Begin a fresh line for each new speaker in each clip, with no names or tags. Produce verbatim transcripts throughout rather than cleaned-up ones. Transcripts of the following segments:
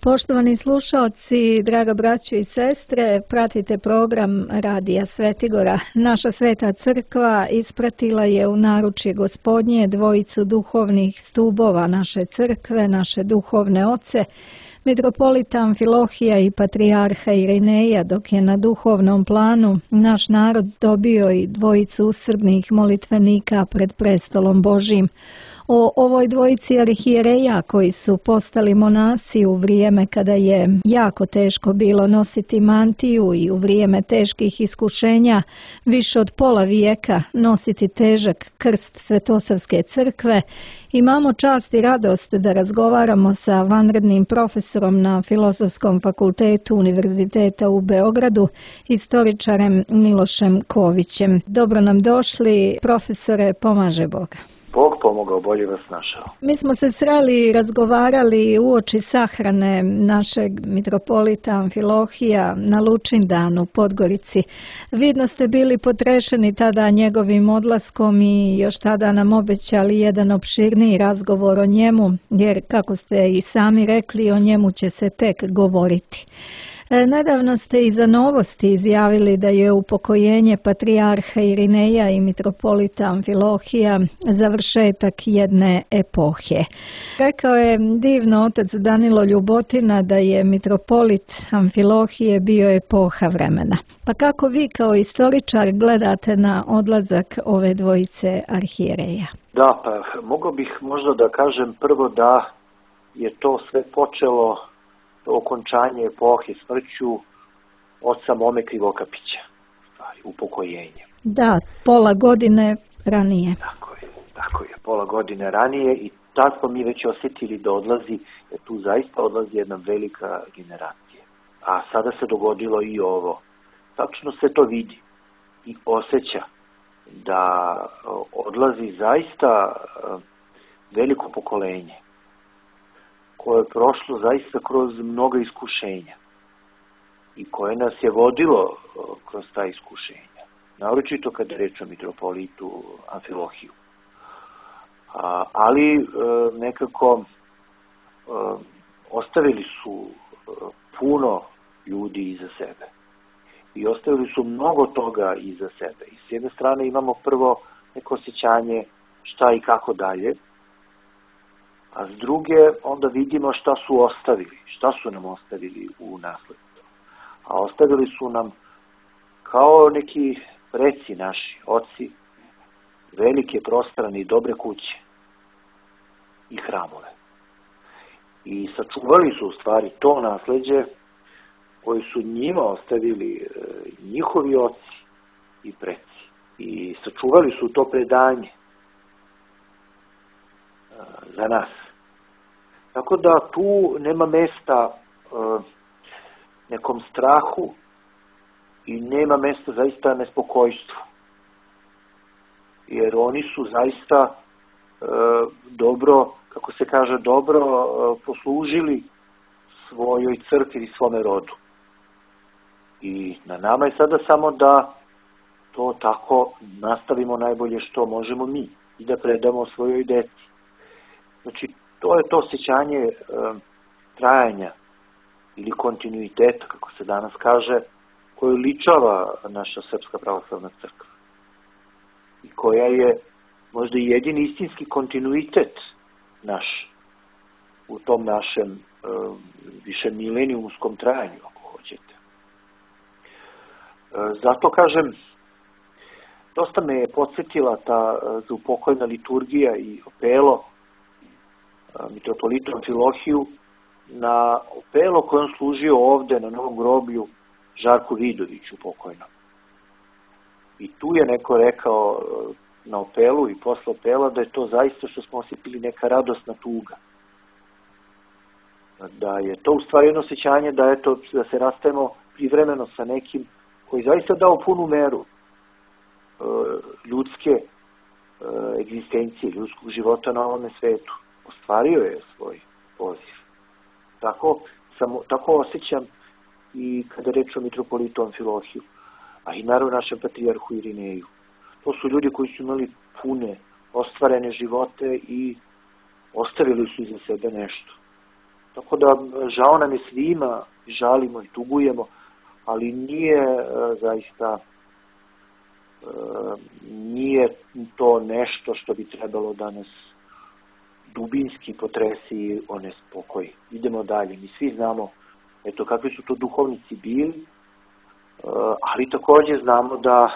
Poštovani slušaoci, draga braćo i sestre, pratite program Radija Svetigora. Naša sveta crkva ispratila je u naručje Gospodnje dvojicu duhovnih stubova naše crkve, naše duhovne oce, mitropolita Amfilohija i patrijarha Irineja, dok je na duhovnom planu naš narod dobio i dvojicu usrdnih molitvenika pred prestolom Božjim. O ovoj dvojici arhijereja koji su postali monasi u vrijeme kada je jako teško bilo nositi mantiju i u vrijeme teških iskušenja više od pola vijeka nositi težak krst Svetosavske crkve, imamo čast i radost da razgovaramo sa vanrednim profesorom na Filozofskom fakultetu Univerziteta u Beogradu, istoričarem Milošem Kovićem. Dobro nam došli, profesore, pomaže Boga.
Bog pomogao, bolje vas našao.
Mi smo se sreli i razgovarali uoči sahrane našeg mitropolita Amfilohija na Lučindanu u Podgorici. Vidno ste bili potrešeni tada njegovim odlaskom i još tada nam obećali jedan opširniji razgovor o njemu, jer kako ste i sami rekli, o njemu će se tek govoriti. Nedavno ste i za Novosti izjavili da je upokojenje patrijarha Irineja i mitropolita Amfilohija završetak jedne epohe. Rekao je divno otac Danilo Ljubotina da je mitropolit Amfilohije bio epoha vremena. Pa kako vi kao istoričar gledate na odlazak ove dvojice arhijereja?
Da, pa mogao bih možda da kažem prvo da je to sve počelo okončanje epohe smrću oca Mome Krivokapića, upokojenje.
Da, pola godine ranije.
Tako je, tako je, pola godine ranije i tad smo mi već osjetili da odlazi, da tu zaista odlazi jedna velika generacija. A sada se dogodilo i ovo. Tačno se to vidi i osjeća da odlazi zaista veliko pokolenje koje je prošlo zaista kroz mnoga iskušenja i koje nas je vodilo kroz ta iskušenja. Naročito kada je reč o mitropolitu Amfilohiju. A, ali e, nekako e, ostavili su e, puno ljudi iza sebe. I ostavili su mnogo toga iza sebe. I s jedne strane imamo prvo neko osjećanje šta i kako dalje, a s druge onda vidimo šta su ostavili, šta su nam ostavili u nasledstvo. A ostavili su nam kao neki preci naši, oci, velike, prostrane i dobre kuće i hramove. I sačuvali su u stvari to nasleđe koji su njima ostavili njihovi oci i preci. I sačuvali su to predanje za nas. Tako da tu nema mesta e, nekom strahu i nema mesta zaista nespokojstvu. Jer oni su zaista e, dobro, kako se kaže, dobro e, poslužili svojoj crkvi i svome rodu. I na nama je sada samo da to tako nastavimo najbolje što možemo mi i da predamo svojoj deci. Znači, to je to osjećanje e, trajanja ili kontinuiteta, kako se danas kaže, koju ličava naša Srpska pravoslavna crkva. I koja je možda i jedini istinski kontinuitet naš u tom našem e, više milenijumskom trajanju, ako hoćete. E, zato kažem, dosta me je podsjetila ta zaupokojna liturgija i opelo mitropolitu Amfilohiju na opelo koje on služio ovde na Novom groblju Žarku Vidoviću pokojnom. I tu je neko rekao na opelu i posle opela da je to zaista što smo osjetili neka radosna tuga. Da je to u stvari jedno osjećanje da, eto, da se rastajemo privremeno sa nekim koji zaista dao punu meru e, ljudske e, egzistencije, ljudskog života na ovome svetu. Ostvario je svoj poziv. Tako, samo, tako osjećam i kada reč o mitropolitu Amfilohiju, a i naravno našem patrijarhu Irineju. To su ljudi koji su imali pune, ostvarene živote i ostavili su iza sebe nešto. Tako da žao nam je svima, žalimo i tugujemo, ali nije e, zaista e, nije to nešto što bi trebalo da nas dubinski potresi i onespokoji. Idemo dalje. Mi svi znamo eto kakvi su to duhovnici bili, e, ali također znamo da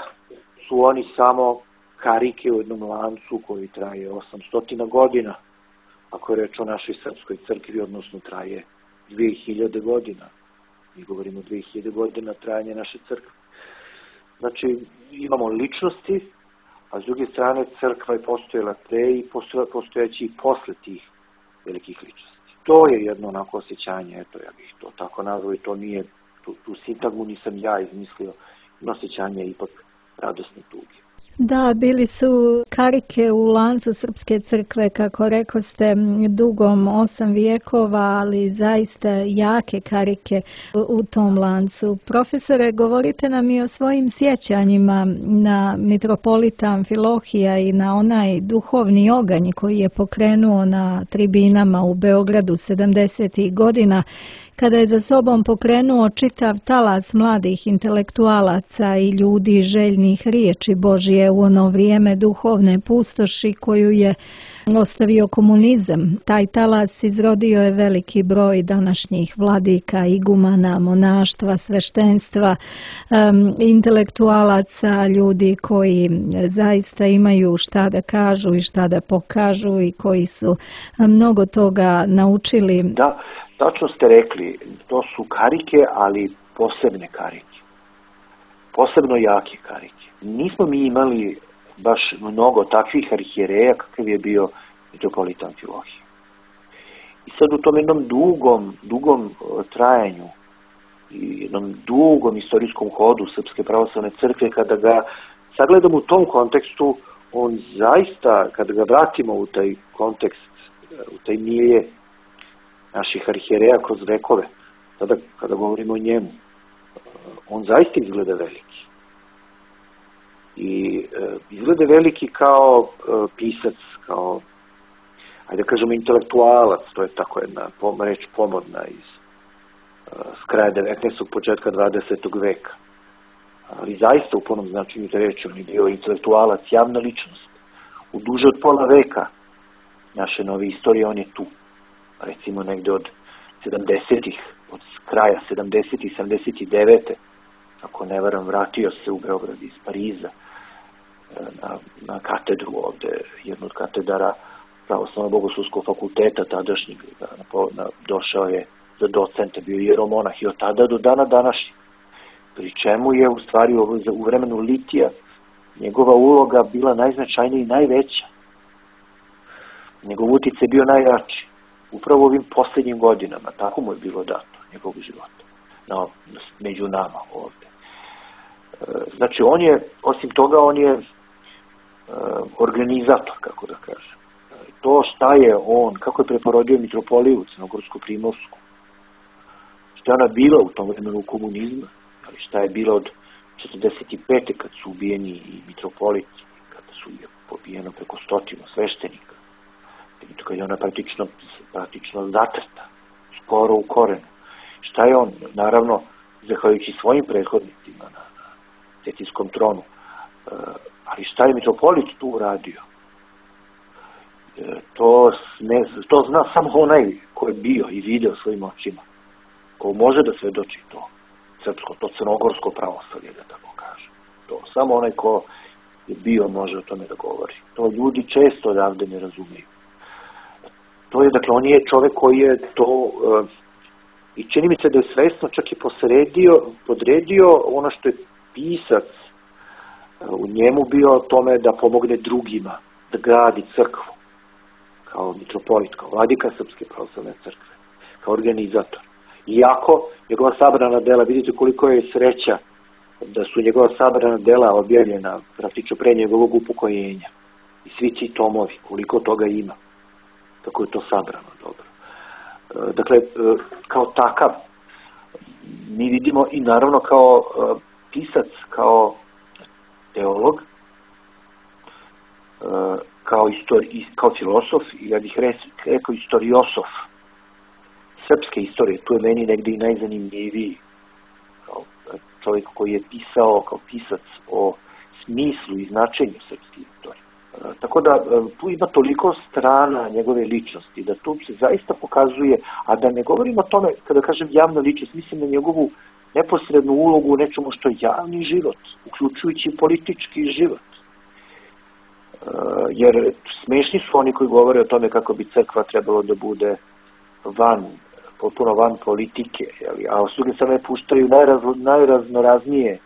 su oni samo karike u jednom lancu koji traje osamsto godina. Ako je reč o našoj srpskoj crkvi, odnosno traje dvije hiljade godina. Mi govorimo o dvije hiljade godina trajanje naše crkve. Znači, imamo ličnosti, a s druge strane crkva je postojala pre i postojeći i posle tih velikih ličnosti. To je jedno onako osjećanje, eto, ja bih to tako nazvao i to nije, tu, tu sintagmu nisam ja izmislio, no osjećanje ipak radosne tuge.
Da, bili su karike u lancu Srpske crkve, kako rekoste, dugom osam vijekova, ali zaista jake karike u tom lancu. Profesore, govorite nam i o svojim sjećanjima na mitropolita Amfilohija i na onaj duhovni oganj koji je pokrenuo na tribinama u Beogradu sedamdesetih godina, kada je za sobom pokrenuo čitav talas mladih intelektualaca i ljudi željnih riječi Božije u ono vrijeme duhovne pustoši koju je ostavio komunizam. Taj talas izrodio je veliki broj današnjih vladika, igumana, monaštva, sveštenstva, um, intelektualaca, ljudi koji zaista imaju šta da kažu i šta da pokažu i koji su mnogo toga naučili.
Da, tačno ste rekli, to su karike, ali posebne karike. Posebno jake karike. Nismo mi imali baš mnogo takvih arhijereja kakav je bio mitropolit Amfilohije. I sad u tom jednom dugom, dugom trajanju i jednom dugom istorijskom hodu Srpske pravoslavne crkve, kada ga sagledamo u tom kontekstu, on zaista, kada ga vratimo u taj kontekst, u taj milje naših arhijereja kroz vekove, tada kada govorimo o njemu, on zaista izgleda veliki. I e, izgleda veliki kao e, pisac, kao, ajde da kažemo, intelektualac, to je tako jedna pom, reč pomodna iz e, s kraja devetnaestog. početka dvadesetog veka. Ali zaista u punom značenju te reči, on je bio intelektualac, javna ličnost. U duže od pola veka naše nove istorije on je tu. Recimo negde od sedamdesetih, od kraja sedamdesetih, sedamdeset devete. Ako ne varam, vratio se u Beograd iz Pariza na, na katedru ovde, jednu od katedara Pravoslavno-bogoslovskog fakulteta tadašnjeg, na, na, došao je za docenta, bio je jeromonah i od tada do dana današnjeg. Pri čemu je u stvari u, u vremenu litija njegova uloga bila najznačajnija i najveća. Njegov uticaj je bio najjači. Upravo ovim posljednjim godinama, tako mu je bilo dato njegovog života, no, među nama ovde. Znači, on je, osim toga, on je organizator, kako da kažem. To šta je on, kako je preporodio mitropoliju Crnogorsko-Primorsku, šta je ona bila u tom vremenu komunizma, ali šta je bila od četrdeset pete. kad su ubijeni i mitropoliti, kada su je pobijeno preko stotinu sveštenika, kad je ona praktično, praktično zatrta, skoro u korenu. Šta je on, naravno, zahvaljujući svojim prethodnicima na, na cetinjskom tronu, e, ali šta je mitropolit tu uradio? E, to, ne, to zna samo onaj ko je bio i video svojim očima, ko može da svedoči to srpsko, to crnogorsko pravoslavlje, da tako kaže. To samo onaj ko je bio može o tome da govori. To ljudi često odavde ne razumeju. To je, dakle, on je čovek koji je to, uh, i čini mi se da je svesno čak i posredio, podredio ono što je pisac uh, u njemu bio tome da pomogne drugima, da gradi crkvu, kao mitropolit, kao vladika Srpske pravoslavne crkve, kao organizator. Iako njegova sabrana dela, vidite koliko je sreća da su njegova sabrana dela objavljena praktično pre njegovog upokojenja. I svi ti tomovi, koliko toga ima. Tako je to sabrano, dobro. Dakle, kao takav, mi vidimo i naravno kao pisac, kao teolog, kao, istori, kao filosof, ja bih rekao istoriosof srpske istorije, tu je meni negdje i najzanimljiviji kao čovjek koji je pisao kao pisac o smislu i značenju srpske istorije. Tako da tu ima toliko strana njegove ličnosti, da tu se zaista pokazuje, a da ne govorim o tome, kada kažem javna ličnost, mislim na njegovu neposrednu ulogu u nečemu što je javni život, uključujući politički život. Jer smešni su oni koji govore o tome kako bi crkva trebalo da bude van, potpuno van politike, jeli? A s druge strane puštaju najraz, najraznoraznije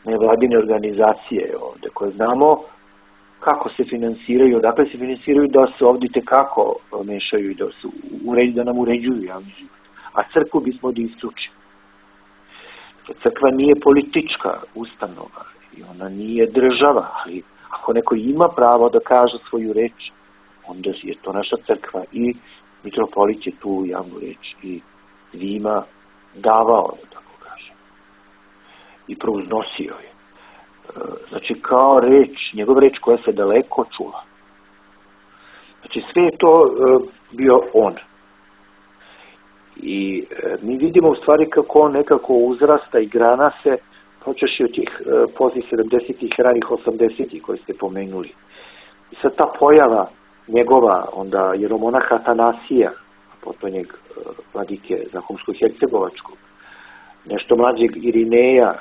nevladine organizacije ovde, koje znamo kako se finansiraju, odakle se finansiraju, da se ovdje tekako mešaju i da, se uređu, da nam uređuju javni život. A crkvu bismo da isključimo. Crkva nije politička ustanova i ona nije država, ali ako neko ima pravo da kaže svoju reč, onda je to naša crkva i mitropolit je tu javnu reč i svima davao, da tako kažem, i prouznosio je. Znači, kao reč, njegov reč koja se daleko čula. Znači, sve je to bio on. I mi vidimo u stvari kako on nekako uzrasta i grana se, počeši od tih poznih sedamdesetih, ranih osamdesetih koji ste pomenuli. I sad ta pojava njegova, onda jeromonaha Atanasija, potonjeg vladike Zahumsko-Hercegovačkog, nešto mlađeg Irineja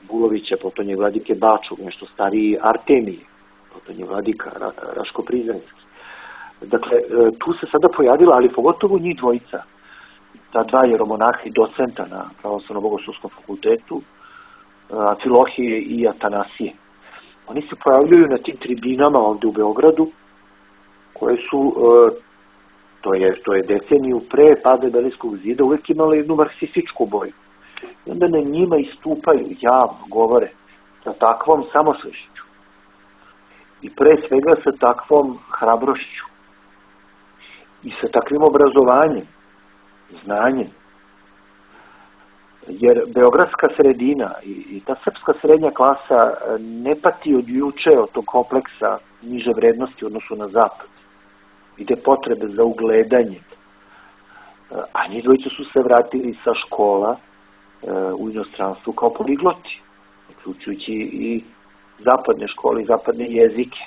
Bulovića, potonjeg vladike Bačog, nešto stariji Artemije, potonjeg vladika Raško-Prizrenski. Dakle, tu se sada pojavila, ali pogotovo njih dvojica, ta dva jeromonaha i docenta na Pravoslavnom bogoslovskom fakultetu, Amfilohije i Atanasije. Oni se pojavljuju na tim tribinama ovdje u Beogradu, koje su, to je, to je deceniju pre pada Berlinskog zida, uvijek imali jednu marksističku boju. I onda na njima istupaju, javno govore, sa takvom samosvešću. I pre svega sa takvom hrabrošću. I sa takvim obrazovanjem, znanjem. Jer beogradska sredina i, i ta srpska srednja klasa ne pati od juče od tog kompleksa niže vrednosti u odnosu na zapad. Ide potrebe za ugledanjem. A njih dvojice su se vratili sa škola u inostranstvu kao poligloti, uključujući i zapadne škole i zapadne jezike.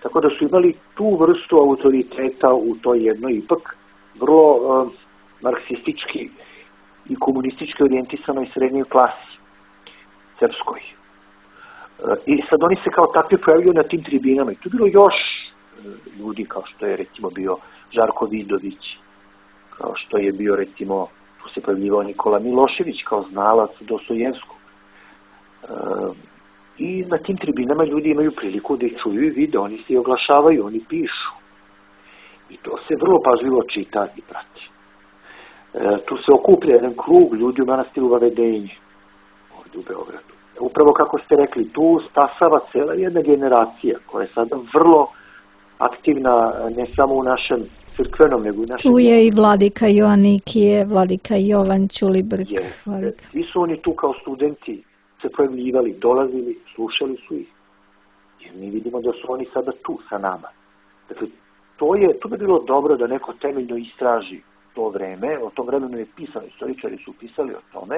Tako da su imali tu vrstu autoriteta u toj jednoj ipak vrlo uh, marksistički i komunistički orijentisanoj srednjoj klasi, srpskoj. Uh, I sad oni se kao takvi pojavljaju na tim tribinama. I tu bilo još uh, ljudi kao što je recimo bio Žarko Vidović, kao što je bio recimo, tu se pojavljivao Nikola Milošević kao znalac Dostojevskog. Uh, I na tim tribinama ljudi imaju priliku da ih čuju i vide, oni se i oglašavaju, oni pišu. I to se vrlo pažljivo čita i prati. E, tu se okuplja jedan krug ljudi u manastiru Vavedenje, ovdje u Beogradu. Upravo kako ste rekli, tu stasava cela jedna generacija koja je sada vrlo aktivna ne samo u našem crkvenom, nego i našem...
Tu je i vladika Joanikije, vladika Jovan Ćulibrk.
Svi su oni tu kao studenti se pojavljivali, dolazili, slušali su ih. Jer mi vidimo da su oni sada tu sa nama. Dakle, to je, to bi bilo dobro da neko temeljno istraži to vreme, o tom vremenu je pisano, istoričari su pisali o tome,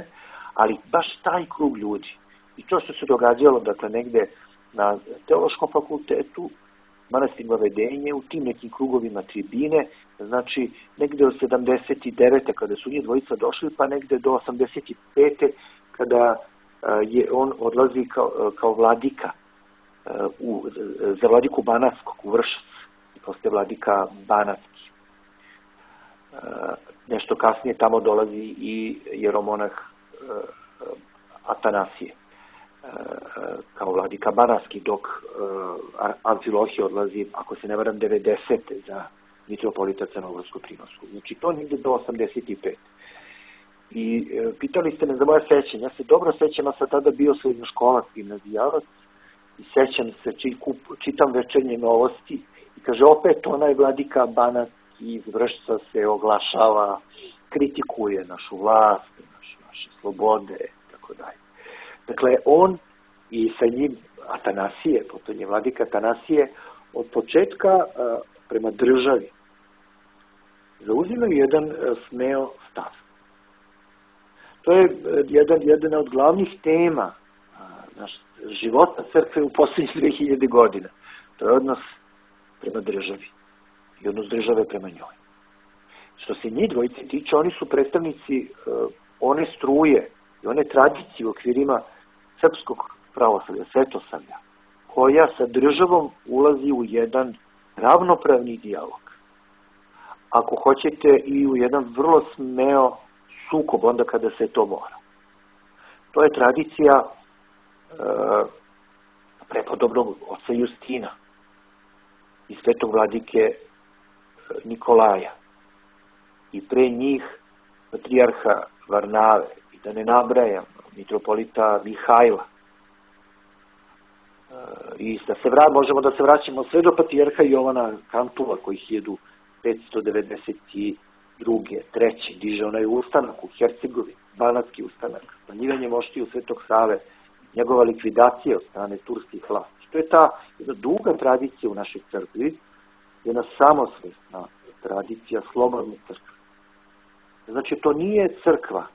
ali baš taj krug ljudi. I to što se događalo, dakle, negde na Teološkom fakultetu, manastir Vavedenje, u tim nekim krugovima tribine, znači negde od sedamdeset devete kada su njih dvojica došli, pa negde do osamdeset pete kada je on odlazi kao, kao vladika u, za vladiku Banatskog u Vršac i postaje vladika Banatski. Nešto kasnije tamo dolazi i jeromonah Atanasije kao vladika Banatski, dok Amfilohije odlazi, ako se ne varam, devedesete za mitropolita Crnogorsko-Primorsku. Znači to negde do osamdeset pete. I e, pitali ste me za moje sećanje. Ja se dobro sećam, a sam tada bio srednjoškolac, gimnazijalac, i sećam se, či, kup, čitam Večernje novosti i kaže, opet onaj vladika Banatski iz Vršca se oglašava, kritikuje našu vlast, naš, naše slobode, tako dalje. Dakle, on i sa njim Atanasije, potom je vladika Atanasije, od početka a, prema državi zauzimaju jedan smeo stav. To je jedan, jedna od glavnih tema naš, života crkve u posljednjih dve hiljade godina. To je odnos prema državi i odnos države prema njoj. Što se njih dvojice tiče, oni su predstavnici uh, one struje i one tradicije u okvirima srpskog pravoslavlja, svetosavlja, koja sa državom ulazi u jedan ravnopravni dijalog. Ako hoćete, i u jedan vrlo smeo sukob onda kada se to mora. To je tradicija uh, prepodobnog oca Justina i svetog vladike Nikolaja i pre njih patrijarha Varnave i da ne nabrajam mitropolita Mihajla. Uh, I da se vrat, možemo da se vraćamo sve do patrijarha Jovana Kantula koji hiljadu petsto devedeset druge treće diže onaj ustanak u Hercegovini, banatski ustanak, smanjivanje moštiju Svetog Save, njegova likvidacija od strane turskih vlasti. To je ta jedna duga tradicija u našoj crkvi, jedna samosvesna tradicija slobodne crkve. Znači, to nije crkva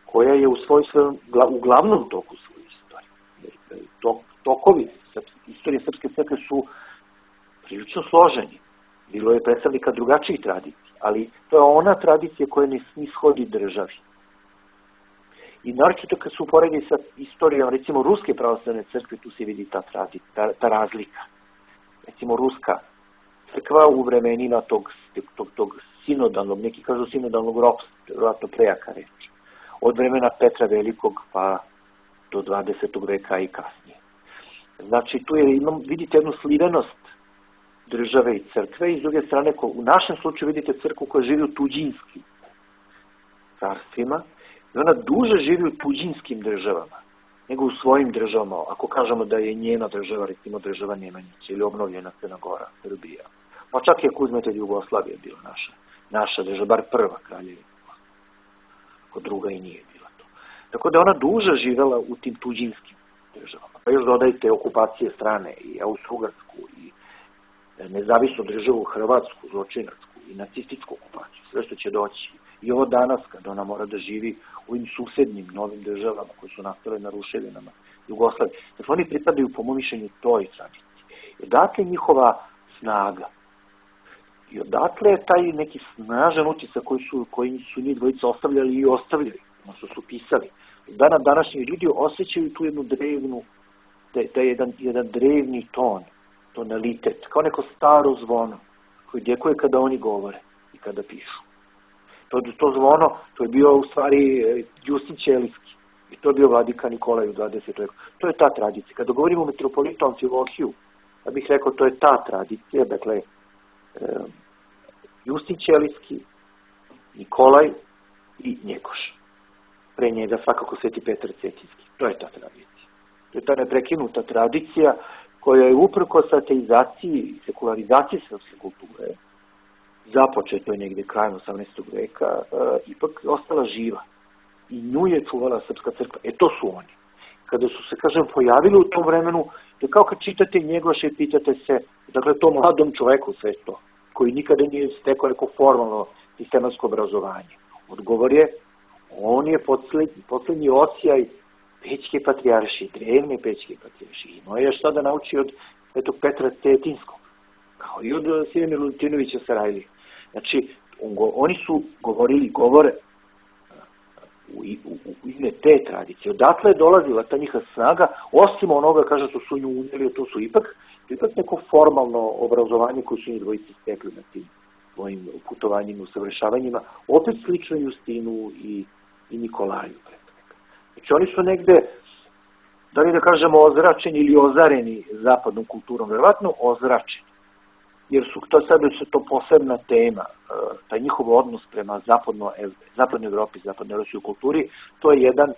koja je u svoj svojom, u glavnom toku svoje istorije. Tok, tokovi istorije srpske crkve su prilično složeni. Bilo je predstavnika drugačijih tradicija, ali to je ona tradicija koja ne ishodi državi. I naročito kad se uporedi sa istorijom, recimo, Ruske pravoslavne crkve, tu se vidi ta, tradicija, ta, ta razlika. Recimo, Ruska crkva u vremenima tog, tog, tog sinodalnog, neki kažu sinodalnog ropstva, vjerojatno prejaka reč, od vremena Petra Velikog pa do dvadesetog veka i kasnije. Znači, tu je, imam, vidite jednu slivenost države i crkve i s druge strane, ko, u našem slučaju vidite crkvu koja živi u tuđinskim carstvima i ona duže živi u tuđinskim državama nego u svojim državama. Ako kažemo da je njena država, recimo država Nemanjića ili obnovljena Crna Gora, Srbija, pa čak i ako uzmete Jugoslavija bila naša, naša država, bar prva kraljevina, ako druga i nije bila to. Tako da ona duže živela u tim tuđinskim državama. Pa još dodajte okupacije strane i Austro-Ugarsku i nezavisnu državu Hrvatsku, zločinarsku i nacističku okupaciju, sve što će doći. I ovo danas, kada ona mora da živi u ovim susednim novim državama koje su nastale na ruševinama Jugoslavije. Dakle, oni pripadaju po mom mišljenju toj tradiciji. I odatle njihova snaga. I odatle je taj neki snažan utisak koji su, koji su njih dvojica ostavljali i ostavljali, odnosno su pisali. Dana današnji ljudi osjećaju tu jednu drevnu, da je jedan, jedan drevni ton, tonalitet, kao neko staro zvono koji djekuje kada oni govore i kada pišu. To, to zvono, to je bio u stvari Justin Ćelijski i to je bio vladika Nikolaj u dvadesetom veku. To je ta tradicija. Kada govorimo o metropolitu Amfilohiju, ja bih rekao to je ta tradicija, dakle, e, Justin Ćelijski, Nikolaj i Njegoš. Pre njega svakako Sveti Petar Cetinski. To je ta tradicija. To je ta neprekinuta tradicija koja je uprkos ateizaciji i sekularizaciji srpske kulture, započeto je negde krajem osamnaestog veka, e, ipak ostala živa. I nju je čuvala srpska crkva. E to su oni. Kada su se, kažem, pojavili u tom vremenu, da kao kad čitate Njegoša i pitate se, dakle, to mladom čoveku sve to, koji nikada nije stekao neko formalno sistematsko obrazovanje. Odgovor je, on je poslednji, poslednji ocijaj Pećke patrijaršije, drevne Pećke patrijaršije. Imao je šta da nauči od svetog Petra Cetinskog, kao i od Sime Milutinovića Sarajlije. Znači, on go, oni su govorili govore u, u, u ime te tradicije. Odatle je dolazila ta njihova snaga, osim onoga, kaže, što su nju unijeli, to su ipak, ipak neko formalno obrazovanje koje su njih dvojice stekli na tim svojim putovanjima, usavršavanjima, opet slično Justinu i, i Nikolaju. Znači, oni su negde, da li da kažemo, ozračeni ili ozareni zapadnom kulturom, verovatno ozračeni. Jer su to sad je to posebna tema, taj njihov odnos prema zapadno, zapadnoj Evropi, zapadnoj evropskoj kulturi, to je jedan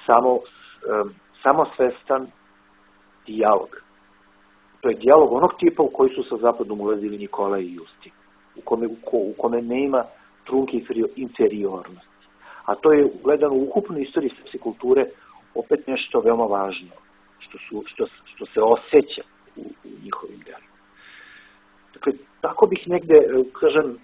samo, samosvestan dijalog. To je dijalog onog tipa u koji su sa zapadom ulazili Nikolaj i Justin, u kome, u kome nema trunke inferiornosti. A to je gledano u ukupnoj istoriji srpske kulture opet nešto veoma važno, što, su, što, što se osjeća u, u njihovim delima. Dakle, tako bih negde, kažem,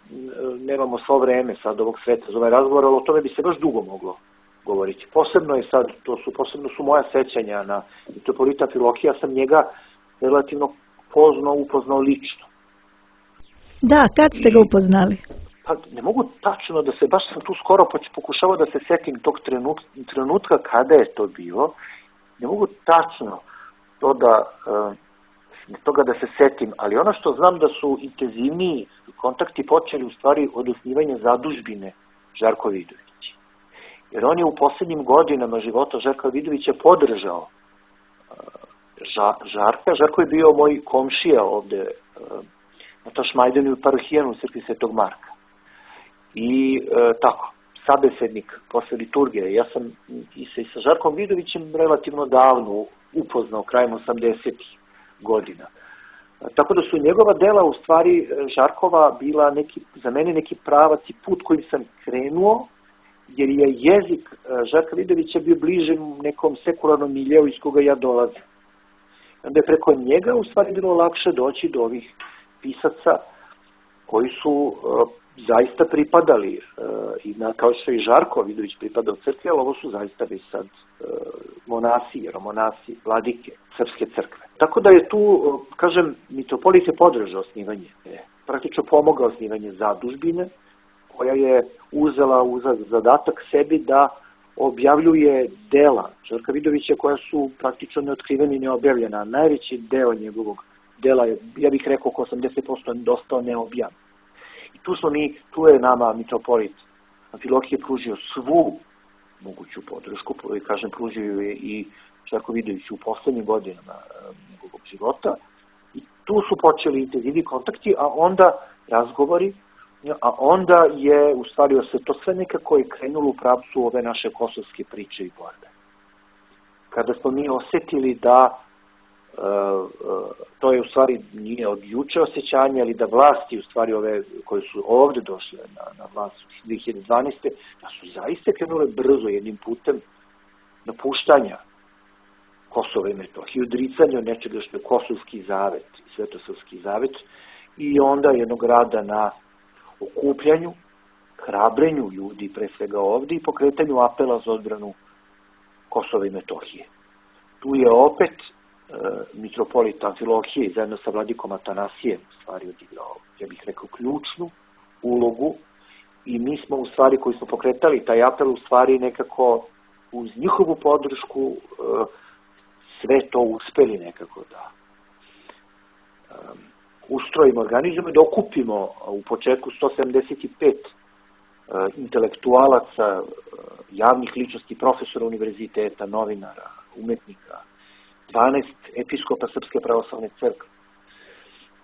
nemamo svo vreme sad ovog sveta za ovaj razgovor, ali o tome bi se baš dugo moglo govoriti. Posebno je sad, to su, posebno su moja sećanja na mitropolita Amfilohija, ja sam njega relativno poznao, upoznao lično.
Da, kad ste ga upoznali?
Pa ne mogu tačno da se, baš sam tu skoro pokušavao da se setim tog trenutka, trenutka kada je to bilo, ne mogu tačno to da, toga da se setim, ali ono što znam da su intenzivniji kontakti počeli u stvari od osnivanja zadužbine Žarko Vidović. Jer on je u posljednjim godinama života Žarka Vidovića podržao Žarka. Žarko je bio moj komšija ovde na Tašmajdanu i Parohijanu u crkvi Svetog Marka. I e, tako, sabesednik posle liturgije. Ja sam i sa, i sa Žarkom Vidovićem relativno davno upoznao, krajem osamdesetih godina. E, tako da su njegova dela, u stvari, Žarkova bila neki, za mene neki pravac i put kojim sam krenuo, jer je jezik Žarka Vidovića bio bliže nekom sekularnom miljeu iz koga ja dolazim. Onda je preko njega, u stvari, bilo lakše doći do ovih pisaca koji su e, zaista pripadali, e, i na, kao što i Žarko Vidović pripadao crkvi, ali ovo su zaista već sad e, monasi, jeromonasi, vladike srpske crkve. Tako da je tu, e, kažem, mitropolit je podržao osnivanje, e, praktično pomogao osnivanje zadužbine, koja je uzela u zadatak sebi da objavljuje dela Žarka Vidovića koja su praktično neotkrivena i neobjavljena. Najveći deo njegovog dela je, ja bih rekao, oko osamdeset posto dostao neobjavljen. I tu smo mi, tu je nama mitropolit Amfilohije pružio svu moguću podršku, kažem, pružio je i Žarko Vidović u poslednjim godinama njegovog života. I tu su počeli intenzivni kontakti, a onda razgovori, a onda je u stvari se to sve nekako je krenulo u pravcu ove naše kosovske priče i borbe. Kada smo mi osetili da Uh, uh, to je u stvari nije od juče osjećanje, ali da vlasti u stvari ove koje su ovde došle na, na vlast dve hiljade dvanaeste. da su zaista krenule brzo jednim putem napuštanja Kosova i Metohije, odricanja od nečega što je Kosovski zavet i Svetosavski zavet i onda jednog rada na okupljanju, hrabrenju ljudi pre svega ovde i pokretanju apela za odbranu Kosova i Metohije. Tu je opet mitropolit Amfilohije i zajedno sa vladikom Atanasijem u stvari odigrao, ja bih rekao, ključnu ulogu i mi smo u stvari koji smo pokretali taj apel u stvari nekako uz njihovu podršku sve to uspeli nekako da ustrojimo, organizujemo i da okupimo u početku sto sedamdeset pet intelektualaca, javnih ličnosti, profesora univerziteta, novinara, umetnika, dvanaest episkopa Srpske pravoslavne crkve,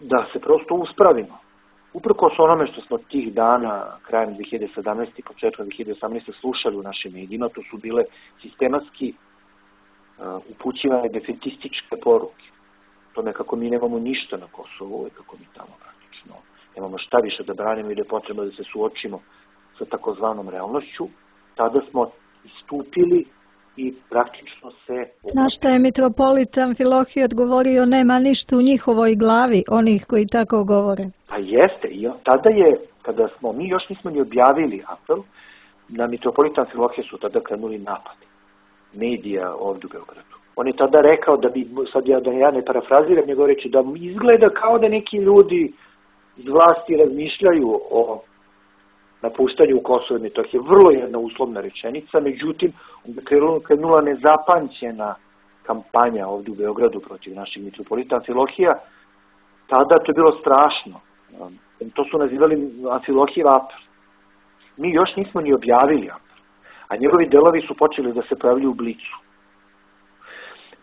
da se prosto uspravimo. Uprkos onome što smo tih dana, krajem dve hiljade sedamnaeste i početkom dve hiljade osamnaeste slušali u našim medijima, to su bile sistematski uh, upućivane defetističke poruke. To nekako mi nemamo ništa na Kosovu, i kako mi tamo praktično nemamo šta više da branimo i da je potrebno da se suočimo sa takozvanom realnošću. Tada smo istupili i praktično se...
Na šta je mitropolit Amfilohije odgovorio, nema ništa u njihovoj glavi, onih koji tako govore.
Pa jeste, i tada je, kada smo, mi još nismo ni objavili apel, na mitropolit Amfilohije su tada krenuli napadi medija ovdje u Beogradu. On je tada rekao da bi, sad ja, da ja ne parafraziram njegov reči, da izgleda kao da neki ljudi iz vlasti razmišljaju o napuštanju Kosova i Metohije. Vrlo jedna uslovna rečenica, međutim, krenula nezapančena kampanja ovdje u Beogradu protiv naših mitropolita Amfilohija. Tada to je bilo strašno. To su nazivali Amfilohijev apel. Mi još nismo ni objavili apel, a njegovi delovi su počeli da se pojavljuju u Blicu.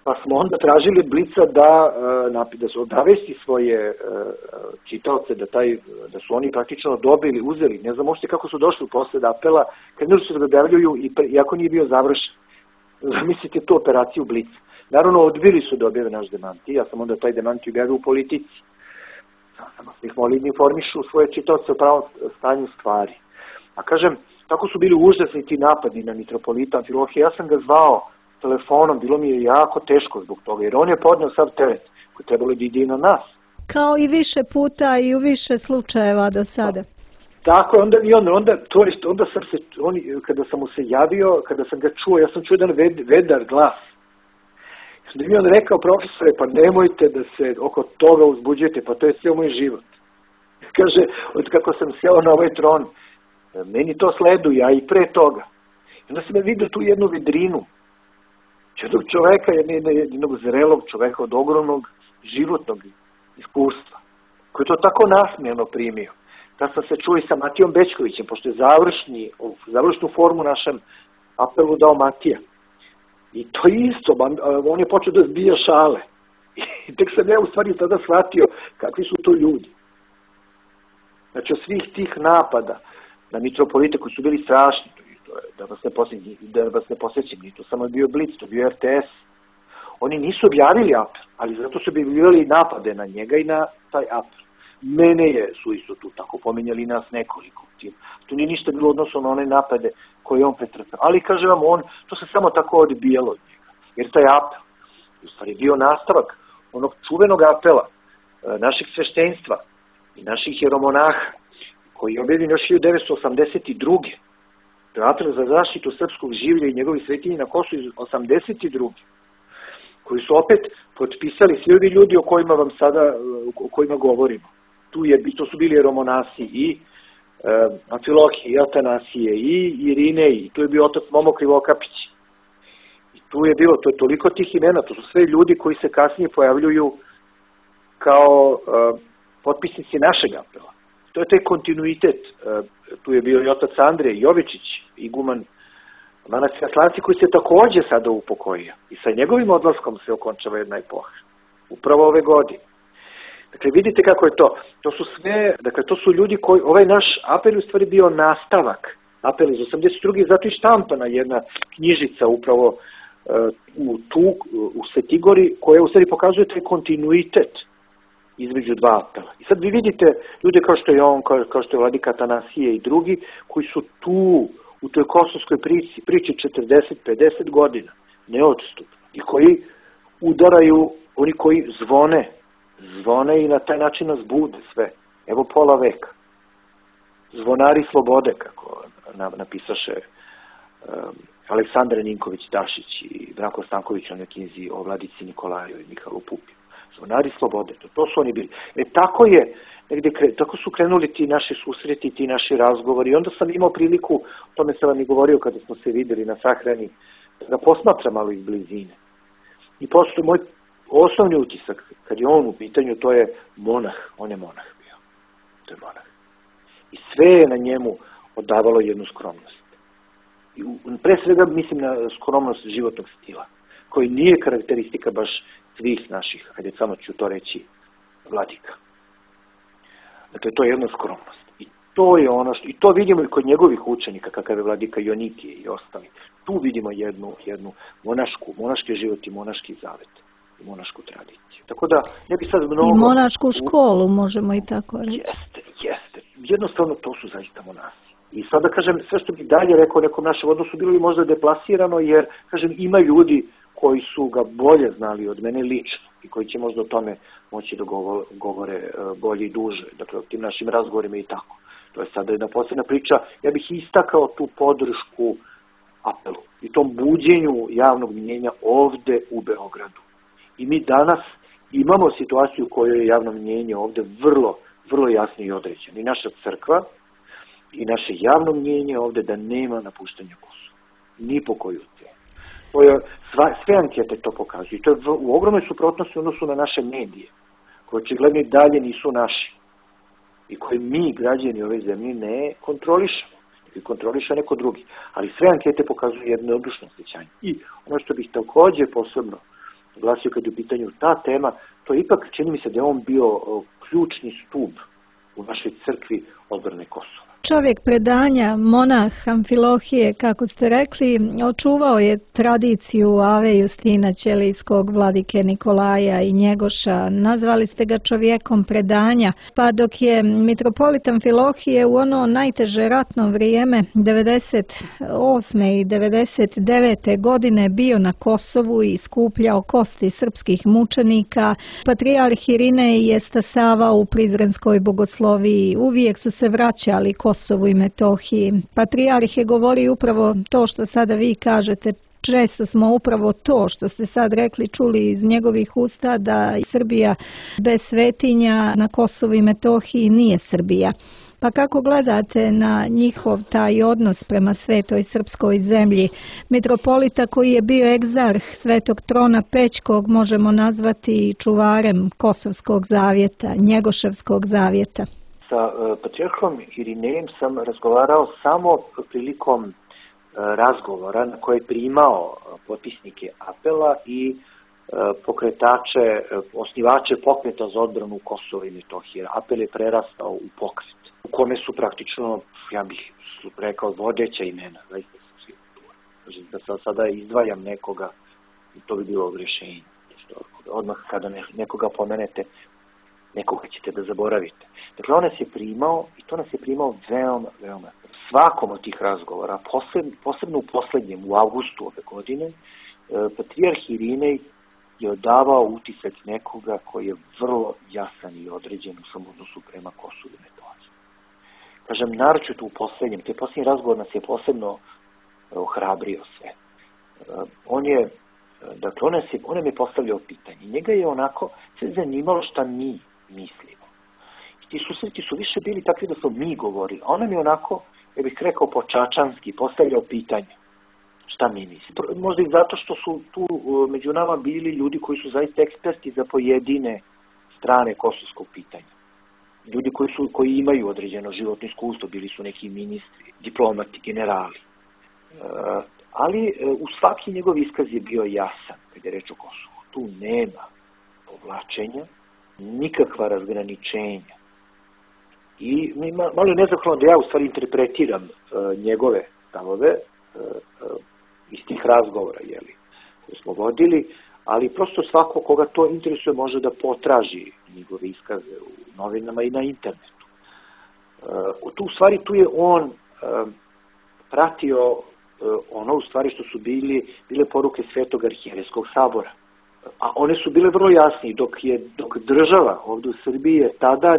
Pa smo onda tražili od Blica da, da su odavesti svoje čitaoce, da, taj, da su oni praktično dobili, uzeli, ne znam možete kako su došli posle apela, krenuli su da ga objavljuju i iako nije bio završen. Zamislite tu operaciju Blica. Naravno, odbili su da objave naš demanti, ja sam onda taj demanti objavio u Politici. Samo smo ih molili da informišu svoje čitaoce o pravom stanju stvari. A kažem, tako su bili užasni ti napadi na mitropolita Amfilohije. Ja sam ga zvao telefonom, bilo mi je jako teško zbog toga, jer on je podneo sav teret koji trebalo da ide i na nas.
Kao i više puta i u više slučajeva do sada.
Tako je, onda, i onda, onda, to jest, onda sam se, oni, kada sam mu se javio, kada sam ga čuo, ja sam čuo jedan ved, vedar glas. Da mi je on rekao, profesore, pa nemojte da se oko toga uzbuđujete, pa to je cijel moj život. Kaže, od kako sam sjeo na ovaj tron, meni to sleduje, a i pre toga. I onda sam je vidio tu jednu vidrinu, jednog čoveka, jednog zrelog čoveka od ogromnog životnog iskustva, koji je to tako nasmijeno primio. Da sam se čuo i sa Matijom Bećkovićem, pošto je završni, završnu formu našem apelu dao Matija. I to isto, on je počeo da zbija šale. I tek sam ja u stvari tada shvatio kakvi su to ljudi. Znači, od svih tih napada na mitropolite koji su bili strašni, da vas ne posjećim, da vas ne posjećim, to samo je bio Blic, to je bio R T S. Oni nisu objavili apel, ali zato su objavljivali napade na njega i na taj apel. Mene je, su isto tu tako pominjali nas nekoliko. Tu nije ništa bilo odnosno na one napade koje on pretrpeo. Ali, kažem vam, on, to se samo tako odbijalo od njega. Jer taj apel, u stvari, bio nastavak onog čuvenog apela našeg sveštenstva i naših jeromonaha, koji je objavljen još hiljadu devetsto osamdeset druge. To je apel za zaštitu srpskog življa i njegovih svetinji na Kosovu iz osamdeset druge. Koji su opet potpisali svi ovi ljudi o kojima vam sada, o kojima govorimo. Tu je, to su bili jeromonasi i e, Amfilohije, i Atanasije, i Irine, i tu je bio otac Momo Krivokapić. I tu je bilo, to je toliko tih imena, to su sve ljudi koji se kasnije pojavljuju kao e, potpisnici našeg apela. To je taj kontinuitet. E, tu je bio i otac Andrej Jovičić, iguman manastir Atlanci, koji se takođe sada upokojio. I sa njegovim odlaskom se okončava jedna epoha. Upravo ove godine. Dakle, vidite kako je to. To su sve, dakle, to su ljudi koji, ovaj naš apel u stvari bio nastavak. Apel iz osamdeset druge. Zato i štampana jedna knjižica upravo uh, u tu, u Svetigori, koja u stvari pokazuje taj kontinuitet između dva apela. I sad vi vidite ljude kao što je on, kao, kao što je vladika Atanasije i drugi, koji su tu u toj kosovskoj priči, priči četrdeset pedeset godina, neodstupno, i koji udaraju, oni koji zvone, zvone i na taj način nas bude sve. Evo pola veka. Zvonari slobode, kako napisaše um, Aleksandar Ninković Dašić i Branko Stanković na knjizi o vladici Nikolaju i Mihajlu Pupinu. Zvonari slobode, to, to su oni bili. E tako je, negde, tako su krenuli ti naši susreti, ti naši razgovori. I onda sam imao priliku, o tome sam vam i govorio kada smo se videli na sahrani, da posmatram malo iz blizine. I posto moj osnovni utisak, kad je on u pitanju, to je monah. On je monah bio. To je monah. I sve je na njemu odavalo jednu skromnost. I pre svega mislim na skromnost životnog stila, koji nije karakteristika baš svih naših, hajde samo ću to reći, vladika. Dakle, to je jedna skromnost. I to je ono što, i to vidimo i kod njegovih učenika, kakav je vladika Jonikije i ostali. Tu vidimo jednu, jednu monašku, monaški život i monaški zavet i monašku tradiciju. Tako da, ne bi sad mnogo...
I monašku školu, možemo i tako reći.
Jeste, jeste. Jednostavno, to su zaista monasi. I sada, kažem, sve što bi dalje rekao nekom našem odnosu, bilo bi možda deplasirano, jer, kažem, ima ljudi koji su ga bolje znali od mene lično i koji će možda o tome moći da govore bolje i duže, dakle o tim našim razgovorima i tako. To je sada jedna posebna priča. Ja bih istakao tu podršku apelu i tom buđenju javnog mnjenja ovde u Beogradu. I mi danas imamo situaciju u kojoj je javno mnjenje ovde vrlo, vrlo jasno i određeno. I naša crkva i naše javno mnjenje ovde da nema napuštanja Kosova. Ni po koju cijenu. To je, sva, sve ankete to pokazuju. To je v, u ogromnoj suprotnosti u odnosu na naše medije, koje očigledno i dalje nisu naši i koje mi, građani ove zemlje, ne kontrolišemo. I kontroliša neko drugi. Ali sve ankete pokazuju jedno odlučno osjećanje. I ono što bih takođe posebno glasio kad je u pitanju ta tema, to ipak čini mi se da je on bio o, ključni stub u našoj crkvi odbrane Kosova.
čovjek predanja, monah Amfilohije, kako ste rekli, očuvao je tradiciju Ave Justina Ćelijskog, vladike Nikolaja i Njegoša. Nazvali ste ga čovjekom predanja, pa dok je mitropolit Amfilohije u ono najteže ratno vrijeme devedeset osme i devedeset devete godine bio na Kosovu i skupljao kosti srpskih mučenika, patrijarh Irinej je stasavao u Prizrenskoj bogosloviji, uvijek su se vraćali Kosovu i Metohiji. Patrijarh je govorio upravo to što sada vi kažete, često smo upravo to što ste sad rekli čuli iz njegovih usta, da Srbija bez svetinja na Kosovu i Metohiji nije Srbija. Pa kako gledate na njihov taj odnos prema svetoj srpskoj zemlji? Mitropolita koji je bio egzarh Svetog Trona Pećkog možemo nazvati čuvarem Kosovskog zavjeta, Njegoševskog zavjeta.
Sa uh, patrijarhom Irinejem sam razgovarao samo prilikom uh, razgovora na koje je primao potpisnike apela i uh, pokretače, uh, osnivače pokreta za odbranu Kosova i Metohije. Apel je prerastao u pokret u kome su praktično, ja bih rekao, vodeća imena. Zaista su svi tu. Da sad sada izdvajam nekoga, to bi bilo rješenje. Odmah kada nekoga pomenete, nekoga ćete da zaboravite. Dakle, on nas je primao i to nas je primao veoma, veoma. Svakom od tih razgovora, posebno, posebno u poslednjem, u avgustu ove godine, patrijarh Irinej je odavao utisak nekoga koji je vrlo jasan i određen u svom odnosu prema Kosovu i Metohiji. Kažem, naročito u poslednjem, te poslednji razgovor nas je posebno ohrabrio sve. On je, dakle, on, je, on nam je postavljao pitanje. Njega je onako sve zanimalo šta mi mislimo. I ti susreti su više bili takvi da smo mi govorili. A on nam je onako, ja bih rekao počačanski, postavljao pitanje. Šta mi mislimo? Možda i zato što su tu među nama bili ljudi koji su zaista eksperti za pojedine strane kosovskog pitanja. Ljudi koji, su, koji imaju određeno životno iskustvo, bili su neki ministri, diplomati, generali. E, ali e, u svaki njegov iskaz je bio jasan, kada je reč o Kosovu. Tu nema povlačenja, nikakva razgraničenja. I malo je nezahvalno da ja u stvari interpretiram e, njegove stavove e, e, iz tih razgovora, jeli, koje smo vodili, ali prosto svako koga to interesuje može da potraži njegove iskaze u novinama i na internetu. Uh, tu u stvari tu je on uh, pratio uh, ono u stvari što su bili, bile poruke Svetog arhijerejskog sabora. A one su bile vrlo jasne, dok je dok država ovdje u Srbiji tada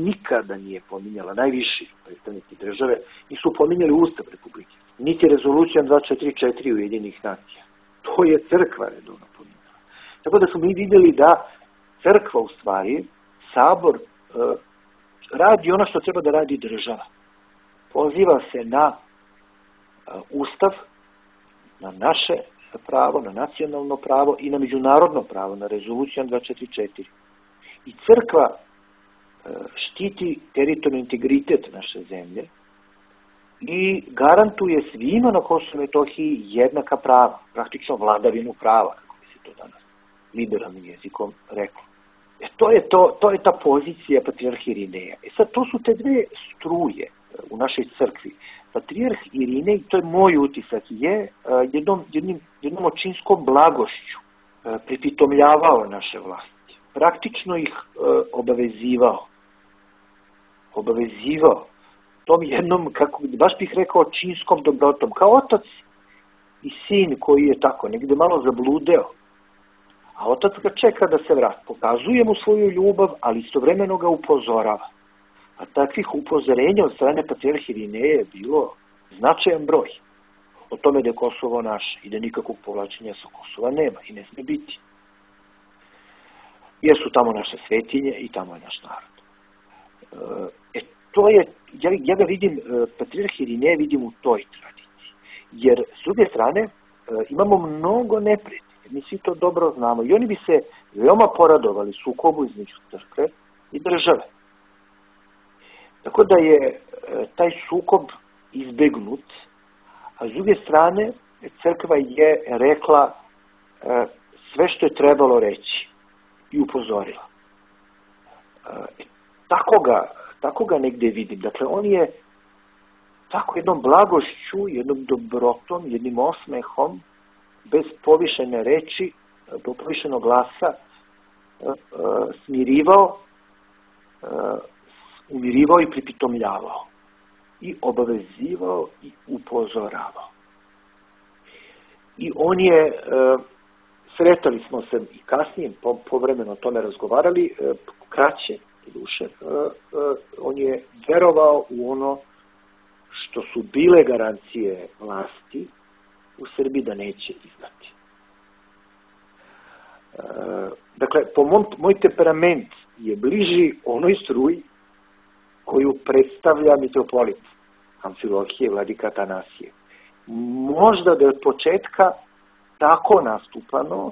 nikada nije pominjala, najviši predstavnici države nisu pominjali Ustav Republike, niti rezolucija dva četiri četiri Ujedinjenih nacija. To je crkva redovno pominjala. Tako da smo mi vidjeli da crkva u stvari, sabor, uh, radi ono što treba da radi država. Poziva se na uh, Ustav, na naše pravo, na nacionalno pravo i na međunarodno pravo, na rezoluciju dva četiri četiri. I crkva uh, štiti teritorijalni integritet naše zemlje i garantuje svima na Kosovu i Metohiji jednaka prava, praktično vladavinu prava, kako bi se to danas liberalnim jezikom reklo. E, to je to, to je ta pozicija patrijarha Irineja. E sad, to su te dve struje u našoj crkvi. Patrijarh Irinej, to je moj utisak, je uh, jednom, jednim, jednom očinskom blagošću uh, pripitomljavao naše vlasti. Praktično ih uh, obavezivao. Obavezivao. Tom jednom, kako, baš bih rekao, očinskom dobrotom. Kao otac i sin koji je tako negde malo zabludeo. A otac ga čeka da se vrati. Pokazuje mu svoju ljubav, ali istovremeno ga upozorava. A takvih upozorenja od strane patrijarha Irineja je bilo značajan broj. O tome da je Kosovo naše i da nikakvog povlačenja sa Kosova nema i ne sme biti. Jer su tamo naše svetinje i tamo je naš narod. E, to je, ja, ja ga vidim, patrijarha Irineja vidim u toj tradiciji. Jer s druge strane imamo mnogo neprijatelja. Mi svi to dobro znamo. I oni bi se veoma poradovali sukobu između crkve i države. Tako da je taj sukob izbegnut, a s druge strane crkva je rekla sve što je trebalo reći i upozorila. Tako ga, tako ga negde vidim. Dakle, on je tako jednom blagošću, jednom dobrotom, jednim osmehom, bez povišene reči, bez povišenog glasa, smirivao, umirivao i pripitomljavao. I obavezivao i upozoravao. I on je, sretali smo se i kasnije, povremeno o tome razgovarali, kraće duše, on je verovao u ono što su bile garancije vlasti u Srbiji da neće izdati. Dakle, po mom, moj temperament je bliži onoj struji koju predstavlja mitropolit Amfilohije, vladika Atanasije. Možda da je od početka tako nastupano,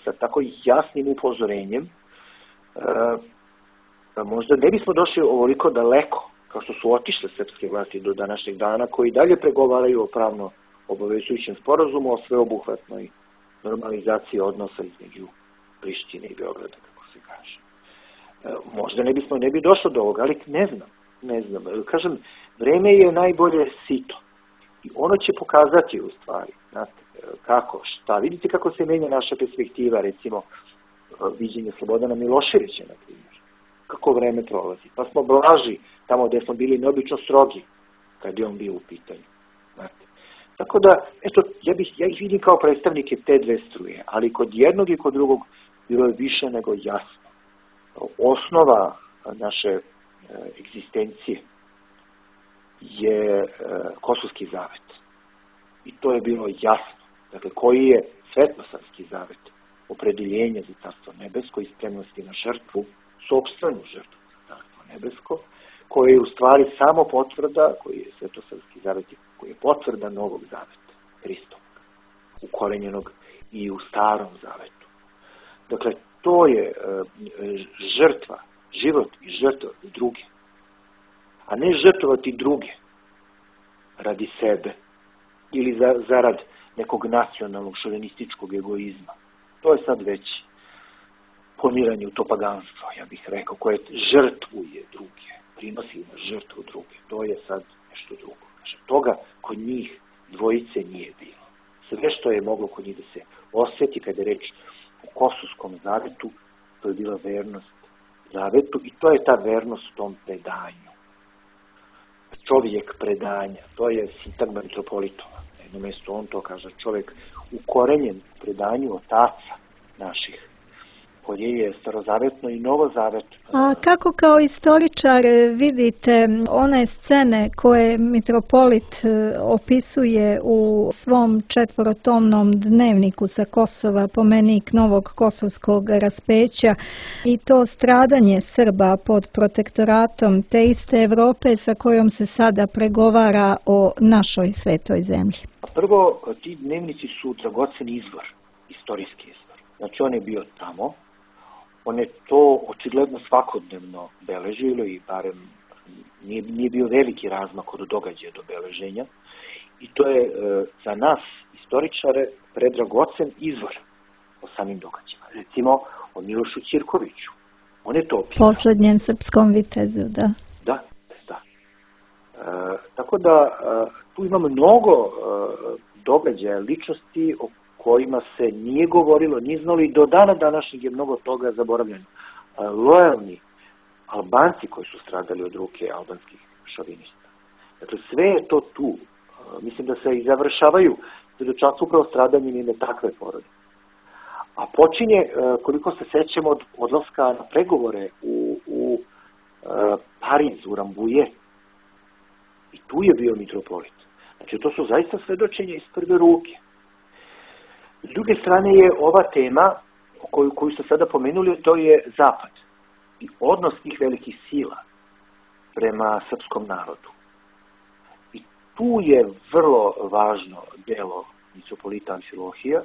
sa tako jasnim upozorenjem, možda ne bismo došli ovoliko daleko, kao što su otišle srpske vlasti do današnjeg dana, koji dalje pregovaraju o pravno obavezujućem sporazumu, o sveobuhvatnoj normalizaciji odnosa između Prištine i Beograda, kako se kaže. Možda ne bismo, ne bi došlo do ovoga, ali ne znam, ne znam. Kažem, vreme je najbolje sito. I ono će pokazati u stvari, znate, kako, šta. Vidite kako se menja naša perspektiva, recimo, viđenje Slobodana Miloševića, na primjer. Kako vreme prolazi. Pa smo blaži tamo gde smo bili neobično strogi, kad je on bio u pitanju. Znate. Tako da, eto, ja, bih, ja ih vidim kao predstavnike te dve struje, ali kod jednog i kod drugog bilo je više nego jasno. Osnova naše e, egzistencije je e, Kosovski zavet. I to je bilo jasno. Dakle, koji je Svetosavski zavet, opredeljenje za Carstvo nebesko i spremnosti na žrtvu, sopstvenu žrtvu za Carstvo nebesko, koji je u stvari samo potvrda, koji je Svetosavski zavet, koji je potvrda Novog zaveta, Hristovog, ukorenjenog i u Starom zavetu. Dakle, to je e, žrtva, život i žrtva druge, a ne žrtvovati druge radi sebe ili za, zarad nekog nacionalnog šovinističkog egoizma. To je sad već poniranje u to paganstvo, ja bih rekao, koje žrtvuje druge, prinosi na žrtvu druge. To je sad nešto drugo. Znači, toga kod njih dvojice nije bilo. Sve što je moglo kod njih da se osjeti kada je reč u Kosovskom zavetu, to je bila vernost zavetu i to je ta vernost tom predanju. Čovjek predanja, to je sintagma mitropolitova. Na jednom mjestu on to kaže, čovjek ukorenjen predanju otaca naših, koje je starozavetno i novozavetno.
A kako kao istoričar vidite one scene koje mitropolit opisuje u svom četvorotomnom dnevniku sa Kosova, pomenik novog kosovskog raspeća i to stradanje Srba pod protektoratom te iste Evrope sa kojom se sada pregovara o našoj svetoj zemlji?
Prvo, ti dnevnici su dragocen izvor, istorijski izvor. Znači on je bio tamo, on je to očigledno svakodnevno beležilo i barem nije, nije bio veliki razmak od događaja do beleženja. I to je e, za nas, istoričare, predragocen izvor o samim događajima. Recimo o Milošu Ćirkoviću. On je to opisao.
Poslednjem srpskom vitezu, da.
Da, da. E, tako da e, tu imamo mnogo e, događaja, ličnosti o kojima se nije govorilo, nije znalo i do dana današnjeg je mnogo toga zaboravljeno. Lojalni Albanci koji su stradali od ruke albanskih šovinista. Dakle, sve je to tu. Mislim da se i završavaju svedočanstva upravo stradanjem jedne takve porode. A počinje, koliko se sećamo, od odlaska na pregovore u, u Pariz, u Rambuje. I tu je bio mitropolit. Znači, to su zaista svedočenja iz prve ruke. S druge strane je ova tema koju, koju ste sada pomenuli, to je Zapad i odnos tih velikih sila prema srpskom narodu. I tu je vrlo važno delo mitropolita Amfilohija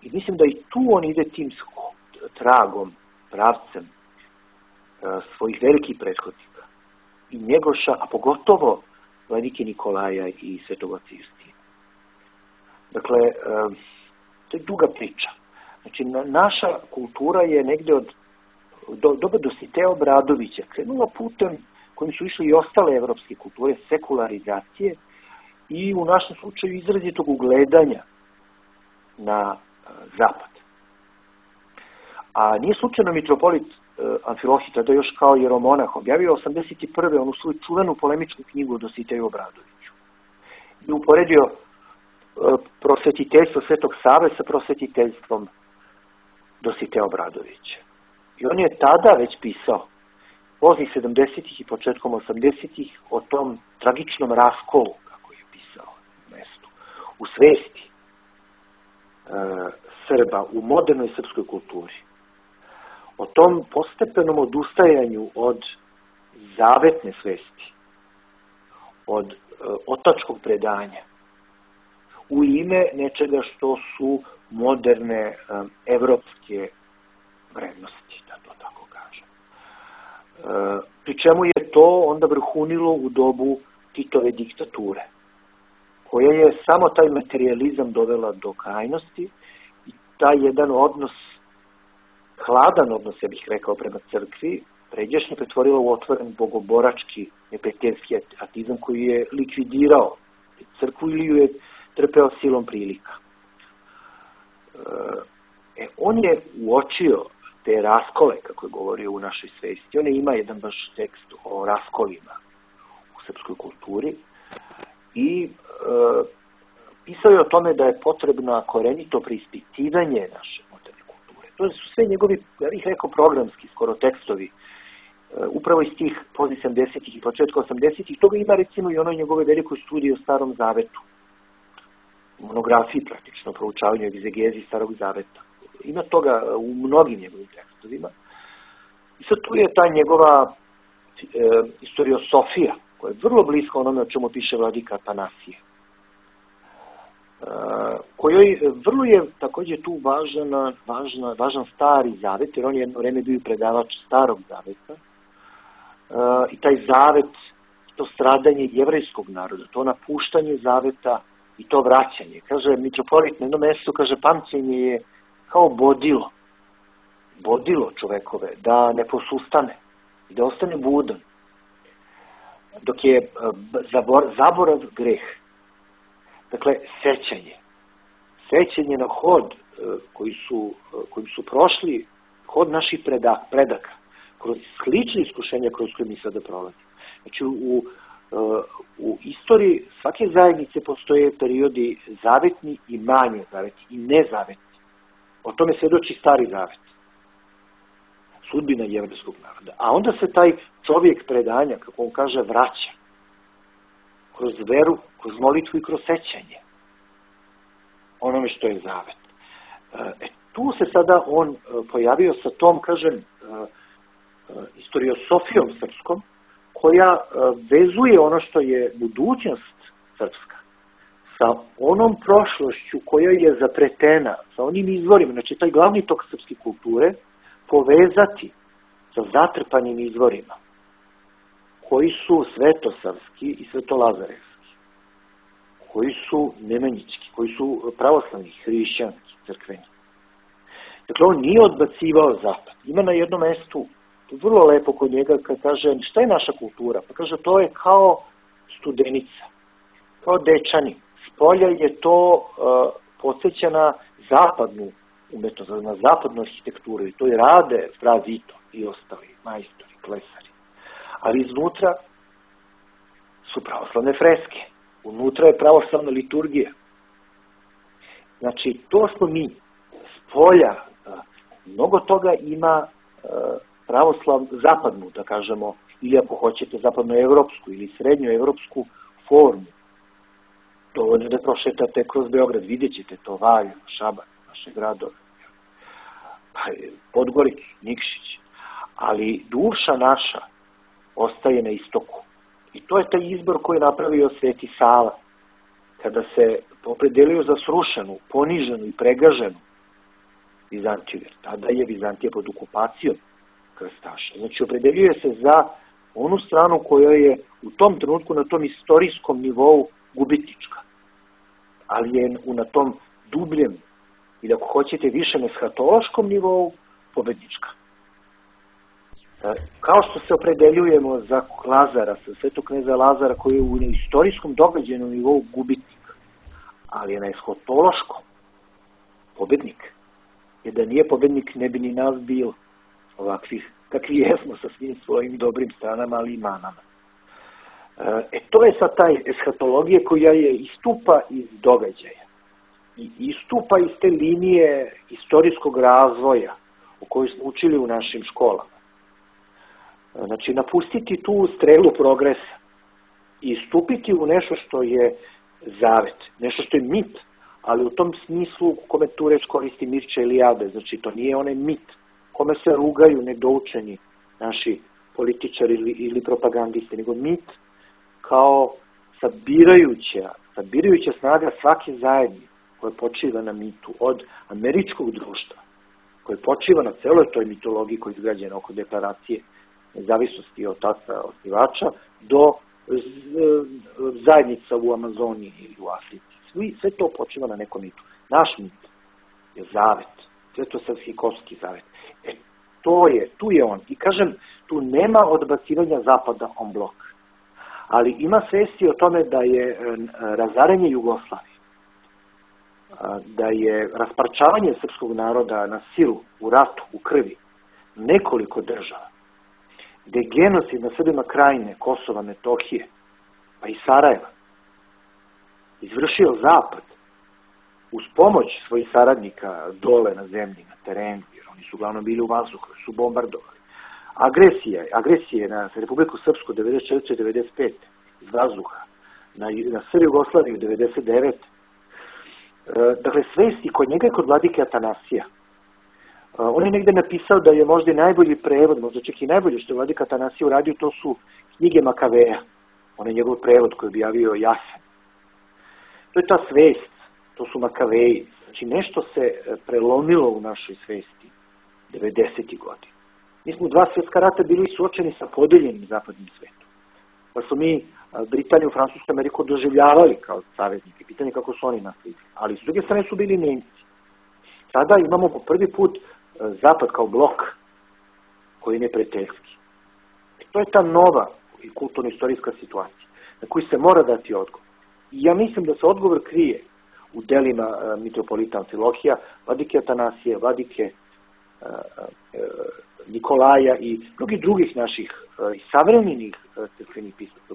i mislim da i tu on ide tim tragom, pravcem svojih velikih prethodnika i Njegoša, a pogotovo vladike Nikolaja i Svetog oca Justina. Dakle, to je duga priča. Znači, naša kultura je negde od do, doba Dositeja Obradovića krenula putem kojim su išli i ostale evropske kulture, sekularizacije i u našem slučaju izrazitog ugledanja na zapad. A nije slučajno mitropolit Amfilohij, tada još kao jeromonah, objavio osamdeset prve onu svoju čuvenu polemičku knjigu o Dositeju Obradoviću. I uporedio prosvetiteljstvo Svetog Save sa prosvetiteljstvom Dositeja Obradovića. I on je tada već pisao, poznih sedamdesetih i početkom osamdesetih, o tom tragičnom raskolu, kako je pisao u mestu, u svesti e, Srba, u modernoj srpskoj kulturi. O tom postepenom odustajanju od zavetne svesti, od e, otačkog predanja, u ime nečega što su moderne e, evropske vrednosti, da to tako kažem. E, pri čemu je to onda vrhunilo u dobu Titove diktature, koja je samo taj materializam dovela do krajnosti i taj jedan odnos, hladan odnos, ja bih rekao, prema crkvi, pređašnje pretvorila u otvoren bogoborački neprijateljski atizam koji je likvidirao crkvu ili ju je trpeo silom prilika. E, on je uočio te raskole, kako je govorio u našoj svesti. On je ima jedan baš tekst o raskolima u srpskoj kulturi i e, pisao je o tome da je potrebno korenito preispitivanje naše moderne kulture. To su sve njegovi, ja bih rekao, programski, skoro tekstovi, e, upravo iz tih poznih sedamdesetih i početka osamdesetih. Toga ima recimo i onoj njegove velikoj studiji o Starom Zavetu, monografiji praktično, proučavanju egzegezi Starog Zaveta. Ima toga u mnogim njegovim tekstovima. I sad tu je ta njegova e, istoriosofija, koja je vrlo bliska onome o čemu piše vladika Atanasije. E, kojoj vrlo je također tu važan, važna, važan Stari Zavet, jer on je jedno vreme bio predavač Starog Zaveta. E, I taj zavet, to stradanje jevrejskog naroda, to napuštanje zaveta i to vraćanje. Kaže, mitropolit na jednom mjestu, kaže, pamćenje je kao bodilo, bodilo čovekove, da ne posustane, da ostane budan. Dok je zabor, zaborav greh. Dakle, sećanje. Sećanje na hod koji su, kojim su prošli, hod naših predaka, predaka kroz slične iskušenja kroz koje mi sada prolazimo. Znači, u, u istoriji svake zajednice postoje periodi zavetni i manje zavetni i nezavetni. O tome svjedoči Stari Zavet. Sudbina jevrejskog naroda. A onda se taj čovjek predanja, kako on kaže, vraća. Kroz veru, kroz molitvu i kroz sećanje. Onome što je zavet. E, tu se sada on pojavio sa tom, kažem, istoriosofijom srpskom, koja vezuje ono što je budućnost srpska sa onom prošlošću koja je zapretena, sa onim izvorima, znači taj glavni tok srpske kulture, povezati sa zatrpanim izvorima, koji su svetosavski i svetolazarevski, koji su nemanjički, koji su pravoslavni, hrišćanski, crkveni. Dakle, on nije odbacivao zapad. Ima na jednom mjestu, vrlo lepo kod njega, kad kaže, šta je naša kultura? Pa kaže, to je kao studenica, kao dečani. Spolja je to uh, podsjeća na zapadnu umetnost, na zapadnu arhitekturu i to je rade Fra Zito i ostali majstori, klesari. Ali iznutra su pravoslavne freske. Unutra je pravoslavna liturgija. Znači, to smo mi. Spolja, uh, mnogo toga ima uh, pravoslav, zapadnu, da kažemo, ili ako hoćete zapadnoevropsku ili srednjoevropsku formu. Dovoljno da prošetate kroz Beograd, vidjet ćete to, Valjevo, Šabac, naše gradove, Podgoricu, Nikšić. Ali duša naša ostaje na istoku. I to je taj izbor koji je napravio Sveti Sava, kada se opredelio za srušenu, poniženu i pregaženu Vizantiju. Tada je Vizantija pod okupacijom krstaša. Znači, opredelio se za onu stranu koja je u tom trenutku na tom istorijskom nivou gubitnička. Ali je na tom dubljem, ili ako hoćete više na eshatološkom nivou, pobednička. Kao što se opredeljujemo za Lazara, za svetog kneza Lazara, koji je u istorijskom događajnom nivou gubitnik, ali je na eshotološkom pobednik. Jer da nije pobednik, ne bi ni nas bilo ovakvih, kakvi jesmo sa svim svojim dobrim stranama, ali i manama. E, to je sad taj eshatologija koja je istupa iz događaja. I istupa iz te linije istorijskog razvoja o kojoj smo učili u našim školama. Znači, napustiti tu strelu progresa i stupiti u nešto što je zavet, nešto što je mit, ali u tom smislu u kome tu reč koristi Mirča Eliade, znači to nije onaj mit kome se rugaju nedoučeni naši političari ili, ili propagandisti, nego mit kao sabirajuća, sabirajuća snaga svake zajednice koja počiva na mitu, od američkog društva, koje počiva na celoj toj mitologiji koja je izgrađena oko deklaracije nezavisnosti od otaca osnivača, do zajednica u Amazoniji ili u Africi. Sve, sve to počiva na nekom mitu. Naš mit je zavet, svetosavskikovski zavet. E, to je, tu je on. I kažem, tu nema odbacivanja zapada on blok. Ali ima svesti o tome da je razaranje Jugoslavije, da je rasparčavanje srpskog naroda na silu, u ratu, u krvi, nekoliko država, da je genocid na Srbima Krajine, Kosova, Metohije, pa i Sarajeva, izvršio Zapad uz pomoć svojih saradnika dole na zemlji, na terenu, jer oni su uglavnom bili u vazduhu, su bombardovali. Agresija, agresije na Republiku Srpsku devedeset četvrte do devedeset pete iz vazduha, na, na Srbiju Jugoslaviju devedeset devete Dakle, svesti kod njega i kod vladike Atanasija. On je negde napisao da je možda i najbolji prevod, možda čak i najbolje što je vladika Atanasija uradio, to su knjige Makaveja. On je njegov prevod koji je objavio Jasen. To je ta svest, to su Makaveji. Znači, nešto se prelomilo u našoj svesti devedesetih godina. Mi smo u dva svjetska rata bili suočeni sa podeljenim zapadnim svetom. Pa su mi Britaniju, Francusku, Ameriku doživljavali kao saveznike. Pitanje kako su oni nasledili. Ali s druge strane su bili Nemci. Sada imamo po prvi put Zapad kao blok koji je neprijateljski. To je ta nova i kulturno-istorijska situacija na koju se mora dati odgovor. I ja mislim da se odgovor krije u delima mitropolita Amfilohija, vladike Atanasije, vladike Nikolaja i mnogih drugih naših i savremenih crkvenih pisaca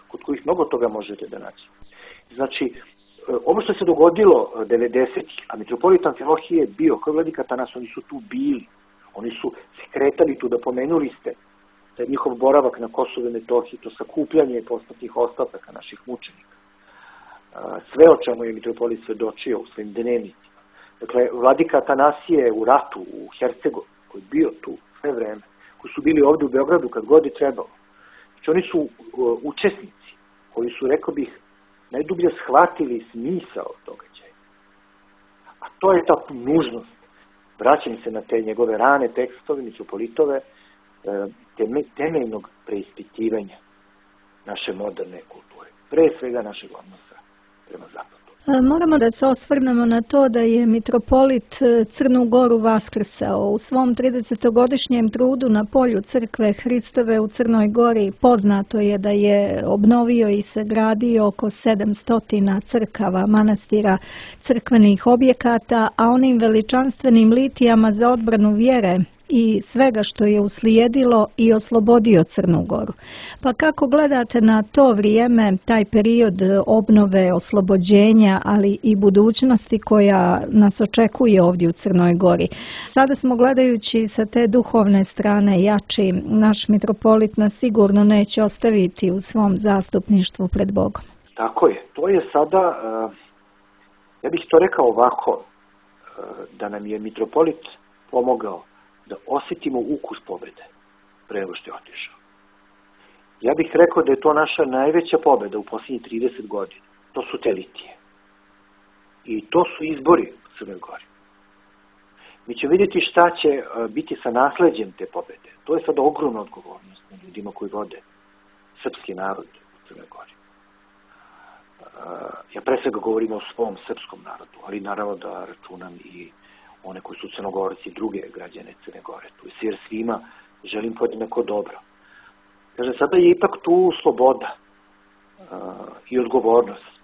kod kojih mnogo toga možete da naći. Znači, ovo što se dogodilo devedesetih, a mitropolit Amfilohije je bio, kao vladika Atanasije, oni su tu bili, oni su se kretali tu, da pomenuli ste da je njihov boravak na Kosovu i Metohiji, to sakupljanje posmrtnih ostataka naših mučenika. Sve o čemu je mitropolit svedočio u svojim dnevnicima. Dakle, vladika Atanasije u ratu, u Hercegovini, koji je bio tu sve vreme, koji su bili ovde u Beogradu kad god je trebalo. Znači, oni su učesnici koji su, rekao bih, najdublje shvatili smisao događaja. A to je ta nužnost. Vraćam se na te njegove rane tekstove, mitropolitove, temeljnog preispitivanja naše moderne kulture. Pre svega našeg odnosa prema zapadu.
Moramo da se osvrnemo na to da je mitropolit Crnu Goru vaskrsao. U svom tridesetogodišnjem trudu na polju crkve Hristove u Crnoj Gori poznato je da je obnovio i sagradio oko sedamsto crkava, manastira, crkvenih objekata, a onim veličanstvenim litijama za odbranu vjere i svega što je uslijedilo i oslobodio Crnu Goru. Pa kako gledate na to vrijeme, taj period obnove, oslobođenja, ali i budućnosti koja nas očekuje ovdje u Crnoj Gori? Sada smo, gledajući sa te duhovne strane jači, naš mitropolit nas sigurno neće ostaviti u svom zastupništvu pred Bogom.
Tako je. To je sada, ja bih to rekao ovako, da nam je mitropolit pomogao da osjetimo ukus pobjede pre nego što je otišao. Ja bih rekao da je to naša najveća pobjeda u posljednjih trideset godina. To su te litije. I to su izbori u Crnoj Gori. Mi ćemo vidjeti šta će biti sa nasleđem te pobjede. To je sada ogromna odgovornost na ljudima koji vode srpski narod u Crnoj Gori. Ja pre svega govorim o svom srpskom narodu, ali naravno da računam i one koji su Crnogorci i druge građane Crne Gore. Tu je jer svima želim podjednako dobro. Kaže, sada je ipak tu sloboda uh, i odgovornost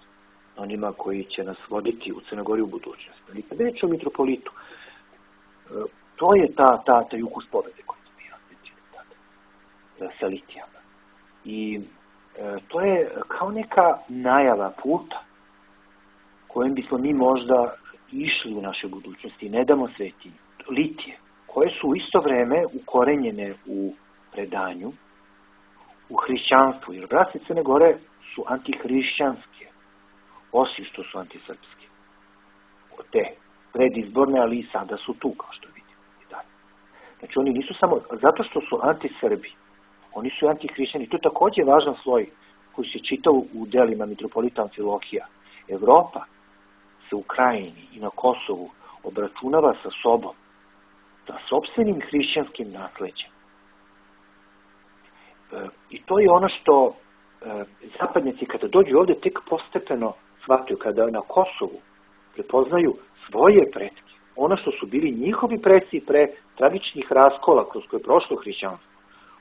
onima koji će nas voditi u Crnoj Gori u budućnosti. Ali kad reći o mitropolitu, uh, to je ta, ta, taj ukus pobede koji smo mi osjetili tada, sa litijama. I uh, to je kao neka najava puta kojim bismo mi možda išli u naše budućnosti i ne damo svetinju. Litije, koje su u isto vreme ukorenjene u predanju, u hrišćanstvu, jer braće Crne Gore su antihrišćanske, osim što su antisrpske. Od te predizborne, ali i sada su tu, kao što vidimo. Znači, oni nisu samo, zato što su antisrbi, oni su antihrišćani. To je također važan sloj koji se čita u delima mitropolita Amfilohija. Evropa se u Krajini i na Kosovu obračunava sa sobom, sa sopstvenim hrišćanskim nasleđem. E, I to je ono što e, zapadnjaci kada dođu ovdje tek postepeno shvataju, kada na Kosovu prepoznaju svoje pretke, ono što su bili njihovi preci pre tragičnih raskola kroz koje je prošlo hrišćanstvo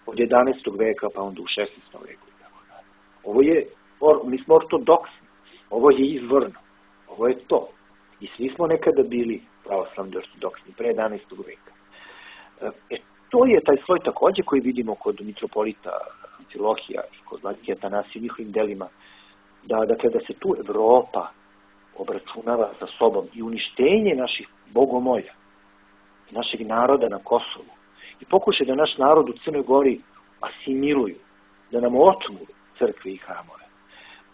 od jedanaestog veka pa onda u šesnaestom veku. Ovo je, mi smo ortodoksni, ovo je izvorno, ovo je to. I svi smo nekada bili pravoslavni ortodoksni pre jedanaestog veka. E, to je taj sloj također koji vidimo kod mitropolita Amfilohija i kod vladike Atanasija u njihovim delima, da, dakle, da se tu Evropa obračunava sa sobom i uništenje naših bogomolja, našeg naroda na Kosovu i pokušaj da naš narod u Crnoj Gori asimiluju, da nam otmu crkve i hramove.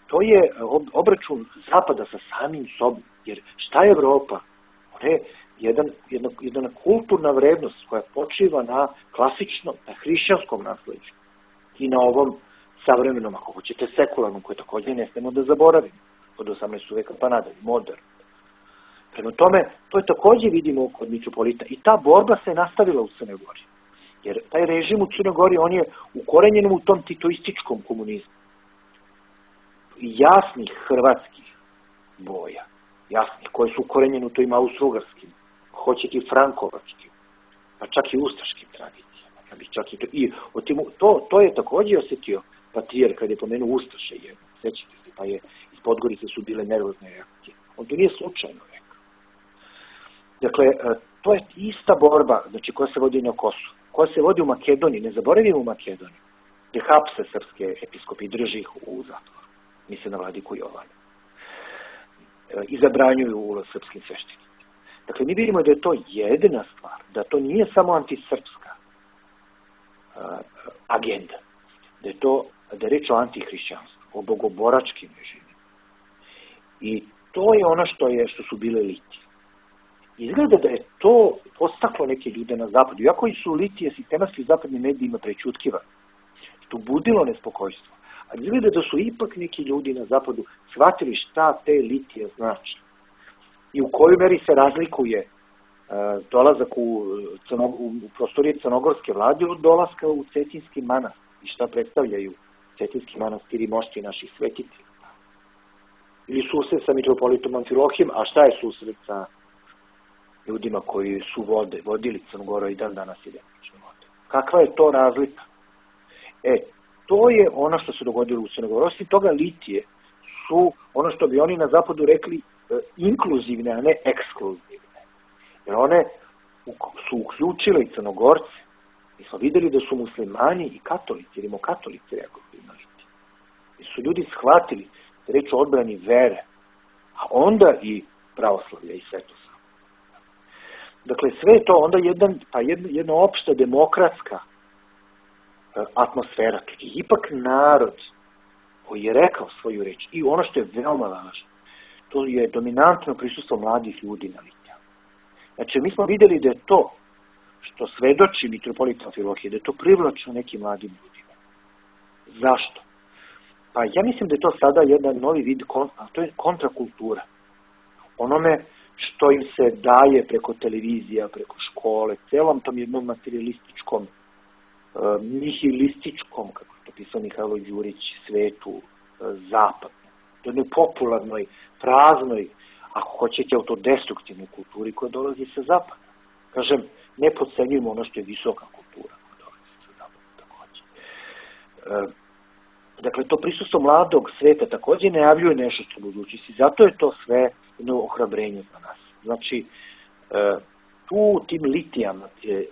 To je obračun Zapada sa samim sobom, jer šta je Evropa? Ona je jedan, jedna, jedna kulturna vrednost koja počiva na klasičnom, na hrišćanskom nasleđu i na ovom savremenom, ako hoćete, sekularnom, koje također ne smemo da zaboravimo od osamnaestog veka pa nadalje, modern. Prema tome, to je također vidimo kod mitropolita i ta borba se nastavila u Crnoj Gori. Jer taj režim u Crnoj Gori, on je ukorenjen u tom titoističkom komunizmu. Jasnih hrvatskih boja, jasnih, koje su ukorenjene u tojim austrougarskim, hoćete i frankovačkim, pa čak i ustaškim tradicijama. Ja bih čak i to, i to, to je također osjetio patrijar kad je pomenuo ustaše jedno, sećate se, pa je iz Podgorice su bile nervozne reakcije. On to nije slučajno rekao. Dakle, to je ista borba, znači, koja se vodi na Kosovu, koja se vodi u Makedoniji, ne zaboravimo u Makedoniji, gdje hapse srpske episkopi i drži ih u zatvoru, misle na vladiku Jovana, i zabranjuju ulaz srpskim sveštenicima. Dakle, mi vidimo da je to jedina stvar, da to nije samo antisrpska uh, agenda, da je to, da je reč o antihrišćanstvu, o bogoboračkim režimima. I to je ono što je, što su bile litije. Izgleda da je to postaklo neke ljude na zapadu, iako su litije sistematski u zapadnim medijima prečutkivani, što budilo nespokojstvo. A izgleda da su ipak neki ljudi na zapadu shvatili šta te litije znači. I u kojoj meri se razlikuje uh, dolazak u, crnog, u prostorije crnogorske vlade od dolaska u Cetinski manastir i šta predstavljaju Cetinski manastir i mošti naših svetitelja. Ili susret sa mitropolitom Amfilohijem, a šta je susret sa ljudima koji su vode, vodili Crnogoru i dan danas i demično vode. Kakva je to razlika? E, to je ono što se dogodilo u Crnogoru. Osim toga, litije su ono što bi oni na zapadu rekli inkluzivne, a ne ekskluzivne. Jer one su uključile i Crnogorce. Mi smo vidjeli da su muslimani i katolici, rimokatolici reagovali na litije. Jer su ljudi shvatili da reč o odbrani vere, a onda i pravoslavlja i svetosti. Dakle, sve je to onda jedan, pa jedna, jedna opšta demokratska uh, atmosfera. To je ipak narod koji je rekao svoju reč. I ono što je veoma važno, to je dominantno prisustvo mladih ljudi na litijama. Znači, mi smo vidjeli da je to što svedoči mitropolit Amfilohije, da je to privlačno nekim mladim ljudima. Zašto? Pa ja mislim da je to sada jedan novi vid, a to je kontrakultura. Onome što im se daje preko televizija, preko škole, celom tom jednom materialističkom, uh, nihilističkom, kako je to pisao Mihajlo Đurić, svetu, uh, zapadnom, jednoj popularnoj, praznoj, ako hoćete, autodestruktivnoj kulturi koja dolazi sa zapada. Kažem, ne podcenjujemo ono što je visoka kultura koja dolazi sa dakle, to prisustvo mladog sveta također najavljuje nešto što budućnosti. Zato je to sve jedno ohrabrenje za nas. Znači, tu tim litijama,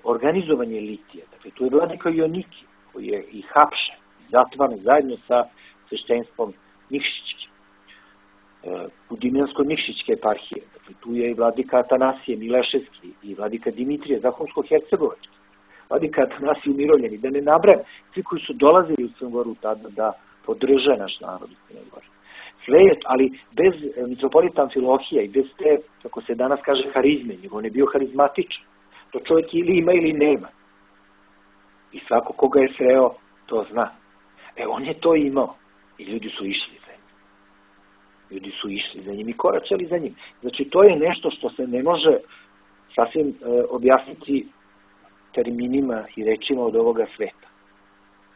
organizovanje litija, dakle, tu je vladika Joniki, koji je i hapšen, zatvaran zajedno sa sveštenstvom Nikšićke, Budimljansko-Nikšićke eparhije. Dakle, tu je i vladika Atanasije Mileševski i vladika Dimitrije Zahumsko-Hercegovački, vladika Atanasije Umirovljeni, da ne nabrajam, svi koji su dolazili u Crnu Goru tada da podrže naš narod u Crnoj Gori. Sve je, ali bez mitropolita Amfilohija i bez te, kako se danas kaže, harizme, nego on je bio harizmatičan. To čovjek ili ima ili nema. I svako koga je sreo, to zna. E, on je to imao. I ljudi su išli za njim. Ljudi su išli za njim i koračali za njim. Znači, to je nešto što se ne može sasvim e, objasniti terminima i rečima od ovoga sveta.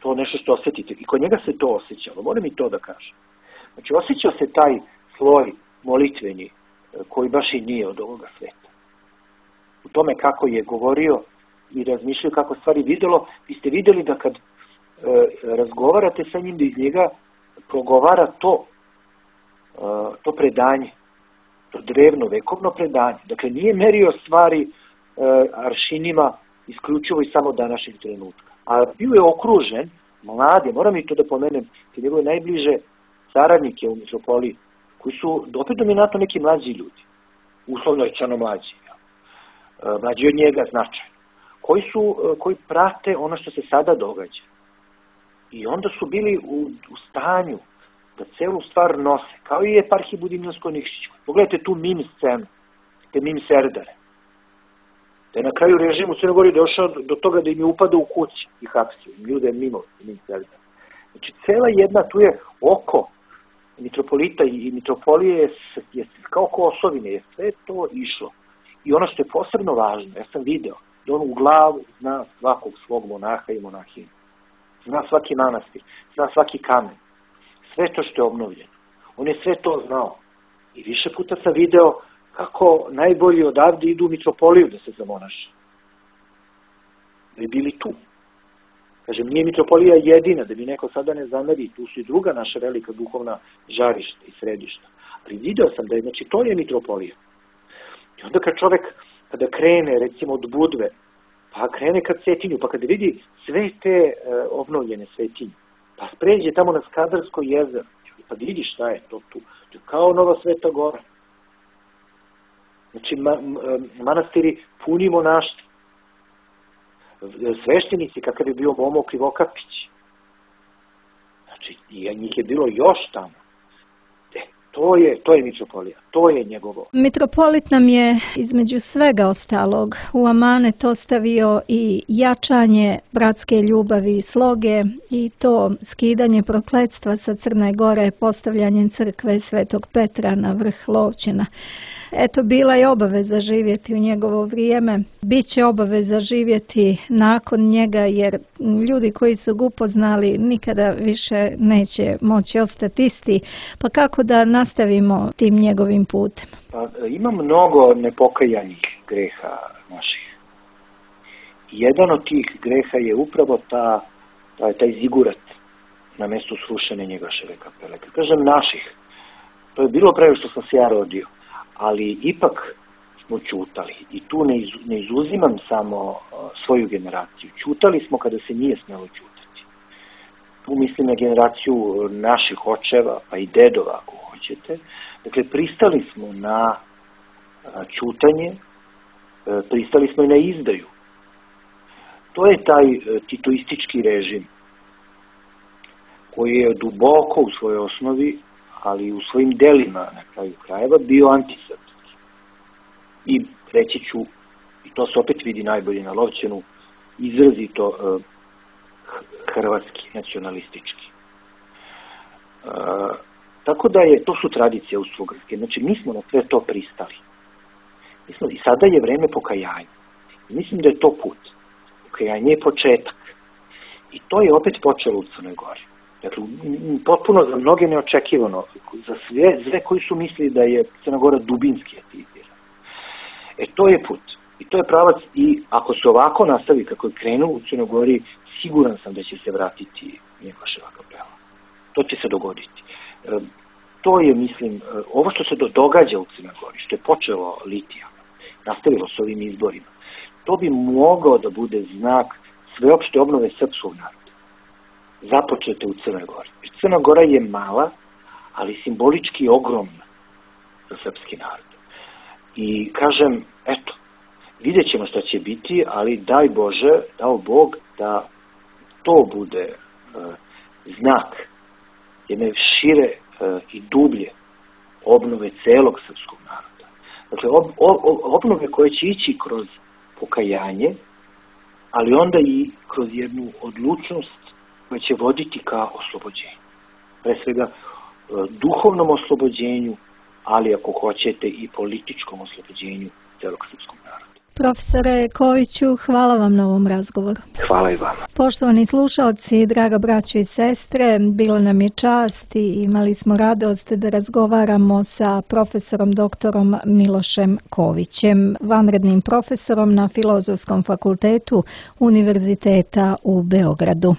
To je nešto što osjetite. I kod njega se to osjećalo. Moram i to da kažem. Znači, osjećao se taj sloj molitveni koji baš i nije od ovoga sveta. U tome kako je govorio i razmišljao kako stvari videlo, vi ste vidjeli da kad e, razgovarate sa njim, da iz njega progovara to, e, to predanje, to drevno, vekovno predanje. Dakle, nije merio stvari e, aršinima isključivo i samo današnjeg trenutka. A bio je okružen, mlade, moram i to da pomenem, te njegove najbliže saradnike u mitropoliji, koji su opet dominantno neki mlađi ljudi, uslovno rečeno mlađi, ja. mlađi od njega značajno, koji, su, koji prate ono što se sada događa. I onda su bili u, u stanju da celu stvar nose, kao i eparhiji Budimljansko-Nikšićkoj. Pogledajte tu mim scenu, te mim serdare. Da je na kraju režim u Crnoj Gori došao do toga da im je upadao u kući i hapsio, im ljude mimo mim serdare. Znači, cela jedna, tu je oko mitropolita i mitropolije je, je kao oko osovine, je sve to išlo. I ono što je posebno važno, ja sam video, da on u glavu zna svakog svog monaha i monahina. Zna svaki manastir, zna svaki kamen. Sve to što je obnovljeno. On je sve to znao. I više puta sam video kako najbolji odavde idu u mitropoliju da se zamonaše. Da bi bili tu. Kažem, nije mitropolija jedina, da bi neko sada ne zameri, tu su i druga naša velika duhovna žarišta i središta. Ali video sam da je, znači, to je mitropolija. I onda kad čovek, kada krene, recimo, od Budve, pa krene ka Cetinju, pa kada vidi sve te e, obnovljene Cetinje, pa spređe tamo na Skadarsko jezero, pa vidi šta je to tu. To je kao Nova Sveta Gora. Znači, ma, manastiri puni monaštva. Sveštenici, kakav je bio Momo Krivokapić. Znači, i njih je bilo još tamo. E, to je, to je mitropolija, to je njegovo.
Mitropolit nam je između svega ostalog u amanet ostavio i jačanje bratske ljubavi i sloge i to skidanje prokletstva sa Crne Gore postavljanjem crkve Svetog Petra na vrh Lovćena. Eto, bila je obaveza živjeti u njegovo vrijeme. Biće obaveza živjeti nakon njega, jer ljudi koji su ga upoznali nikada više neće moći ostati isti. Pa kako da nastavimo tim njegovim putem?
Pa, ima mnogo nepokajanih greha naših. Jedan od tih greha je upravo ta, taj, taj zigurat na mjestu srušene Njegoševe kapele. Kad kažem naših, to je bilo pre što sam se ja rodio. Ali ipak smo ćutali i tu ne, iz, ne izuzimam samo uh, svoju generaciju. Ćutali smo kada se nije smjelo ćutati. Tu mislim na generaciju naših očeva, pa i dedova ako hoćete. Dakle, pristali smo na uh, ćutanje, uh, pristali smo i na izdaju. To je taj uh, titoistički režim koji je duboko u svojoj osnovi, ali u svojim delima na kraju krajeva bio antisrpski. I reći ću, i to se opet vidi najbolje na Lovćenu, izrazito uh, hrvatski, nacionalistički. Uh, tako da je, to su tradicije austrougarske. Znači, mi smo na sve to pristali. Mi smo, i sada je vreme pokajanja. I mislim da je to put. Pokajanje je početak. I to je opet počelo u Crnoj Gori. Dakle, potpuno za mnoge neočekivano, za sve, sve koji su mislili da je Crna Gora dubinski atizirana. E, to je put. I to je pravac i ako se ovako nastavi kako je krenuo u Crnoj Gori, siguran sam da će se vratiti Njegoševa kapela. To će se dogoditi. To je, mislim, ovo što se događa u Crnoj Gori, što je počelo litija, nastavilo s ovim izborima, to bi mogao da bude znak sveopšte obnove srpskog naroda. Započete u Crnoj Gori. Crna Gora je mala, ali simbolički ogromna za srpski narod. I kažem, eto, vidjet ćemo šta će biti, ali daj Bože, dao Bog da to bude e, znak jedne šire e, i dublje obnove celog srpskog naroda. Dakle, ob, ob, obnove koje će ići kroz pokajanje, ali onda i kroz jednu odlučnost koja će voditi ka oslobođenju. Pre svega e, duhovnom oslobođenju, ali ako hoćete i političkom oslobođenju celog srpskog naroda.
Profesore Koviću, hvala vam na ovom razgovoru.
Hvala i vama.
Poštovani slušalci, draga braćo i sestre, bilo nam je čast i imali smo radost da razgovaramo sa profesorom doktorom Milošem Kovićem, vanrednim profesorom na Filozofskom fakultetu Univerziteta u Beogradu.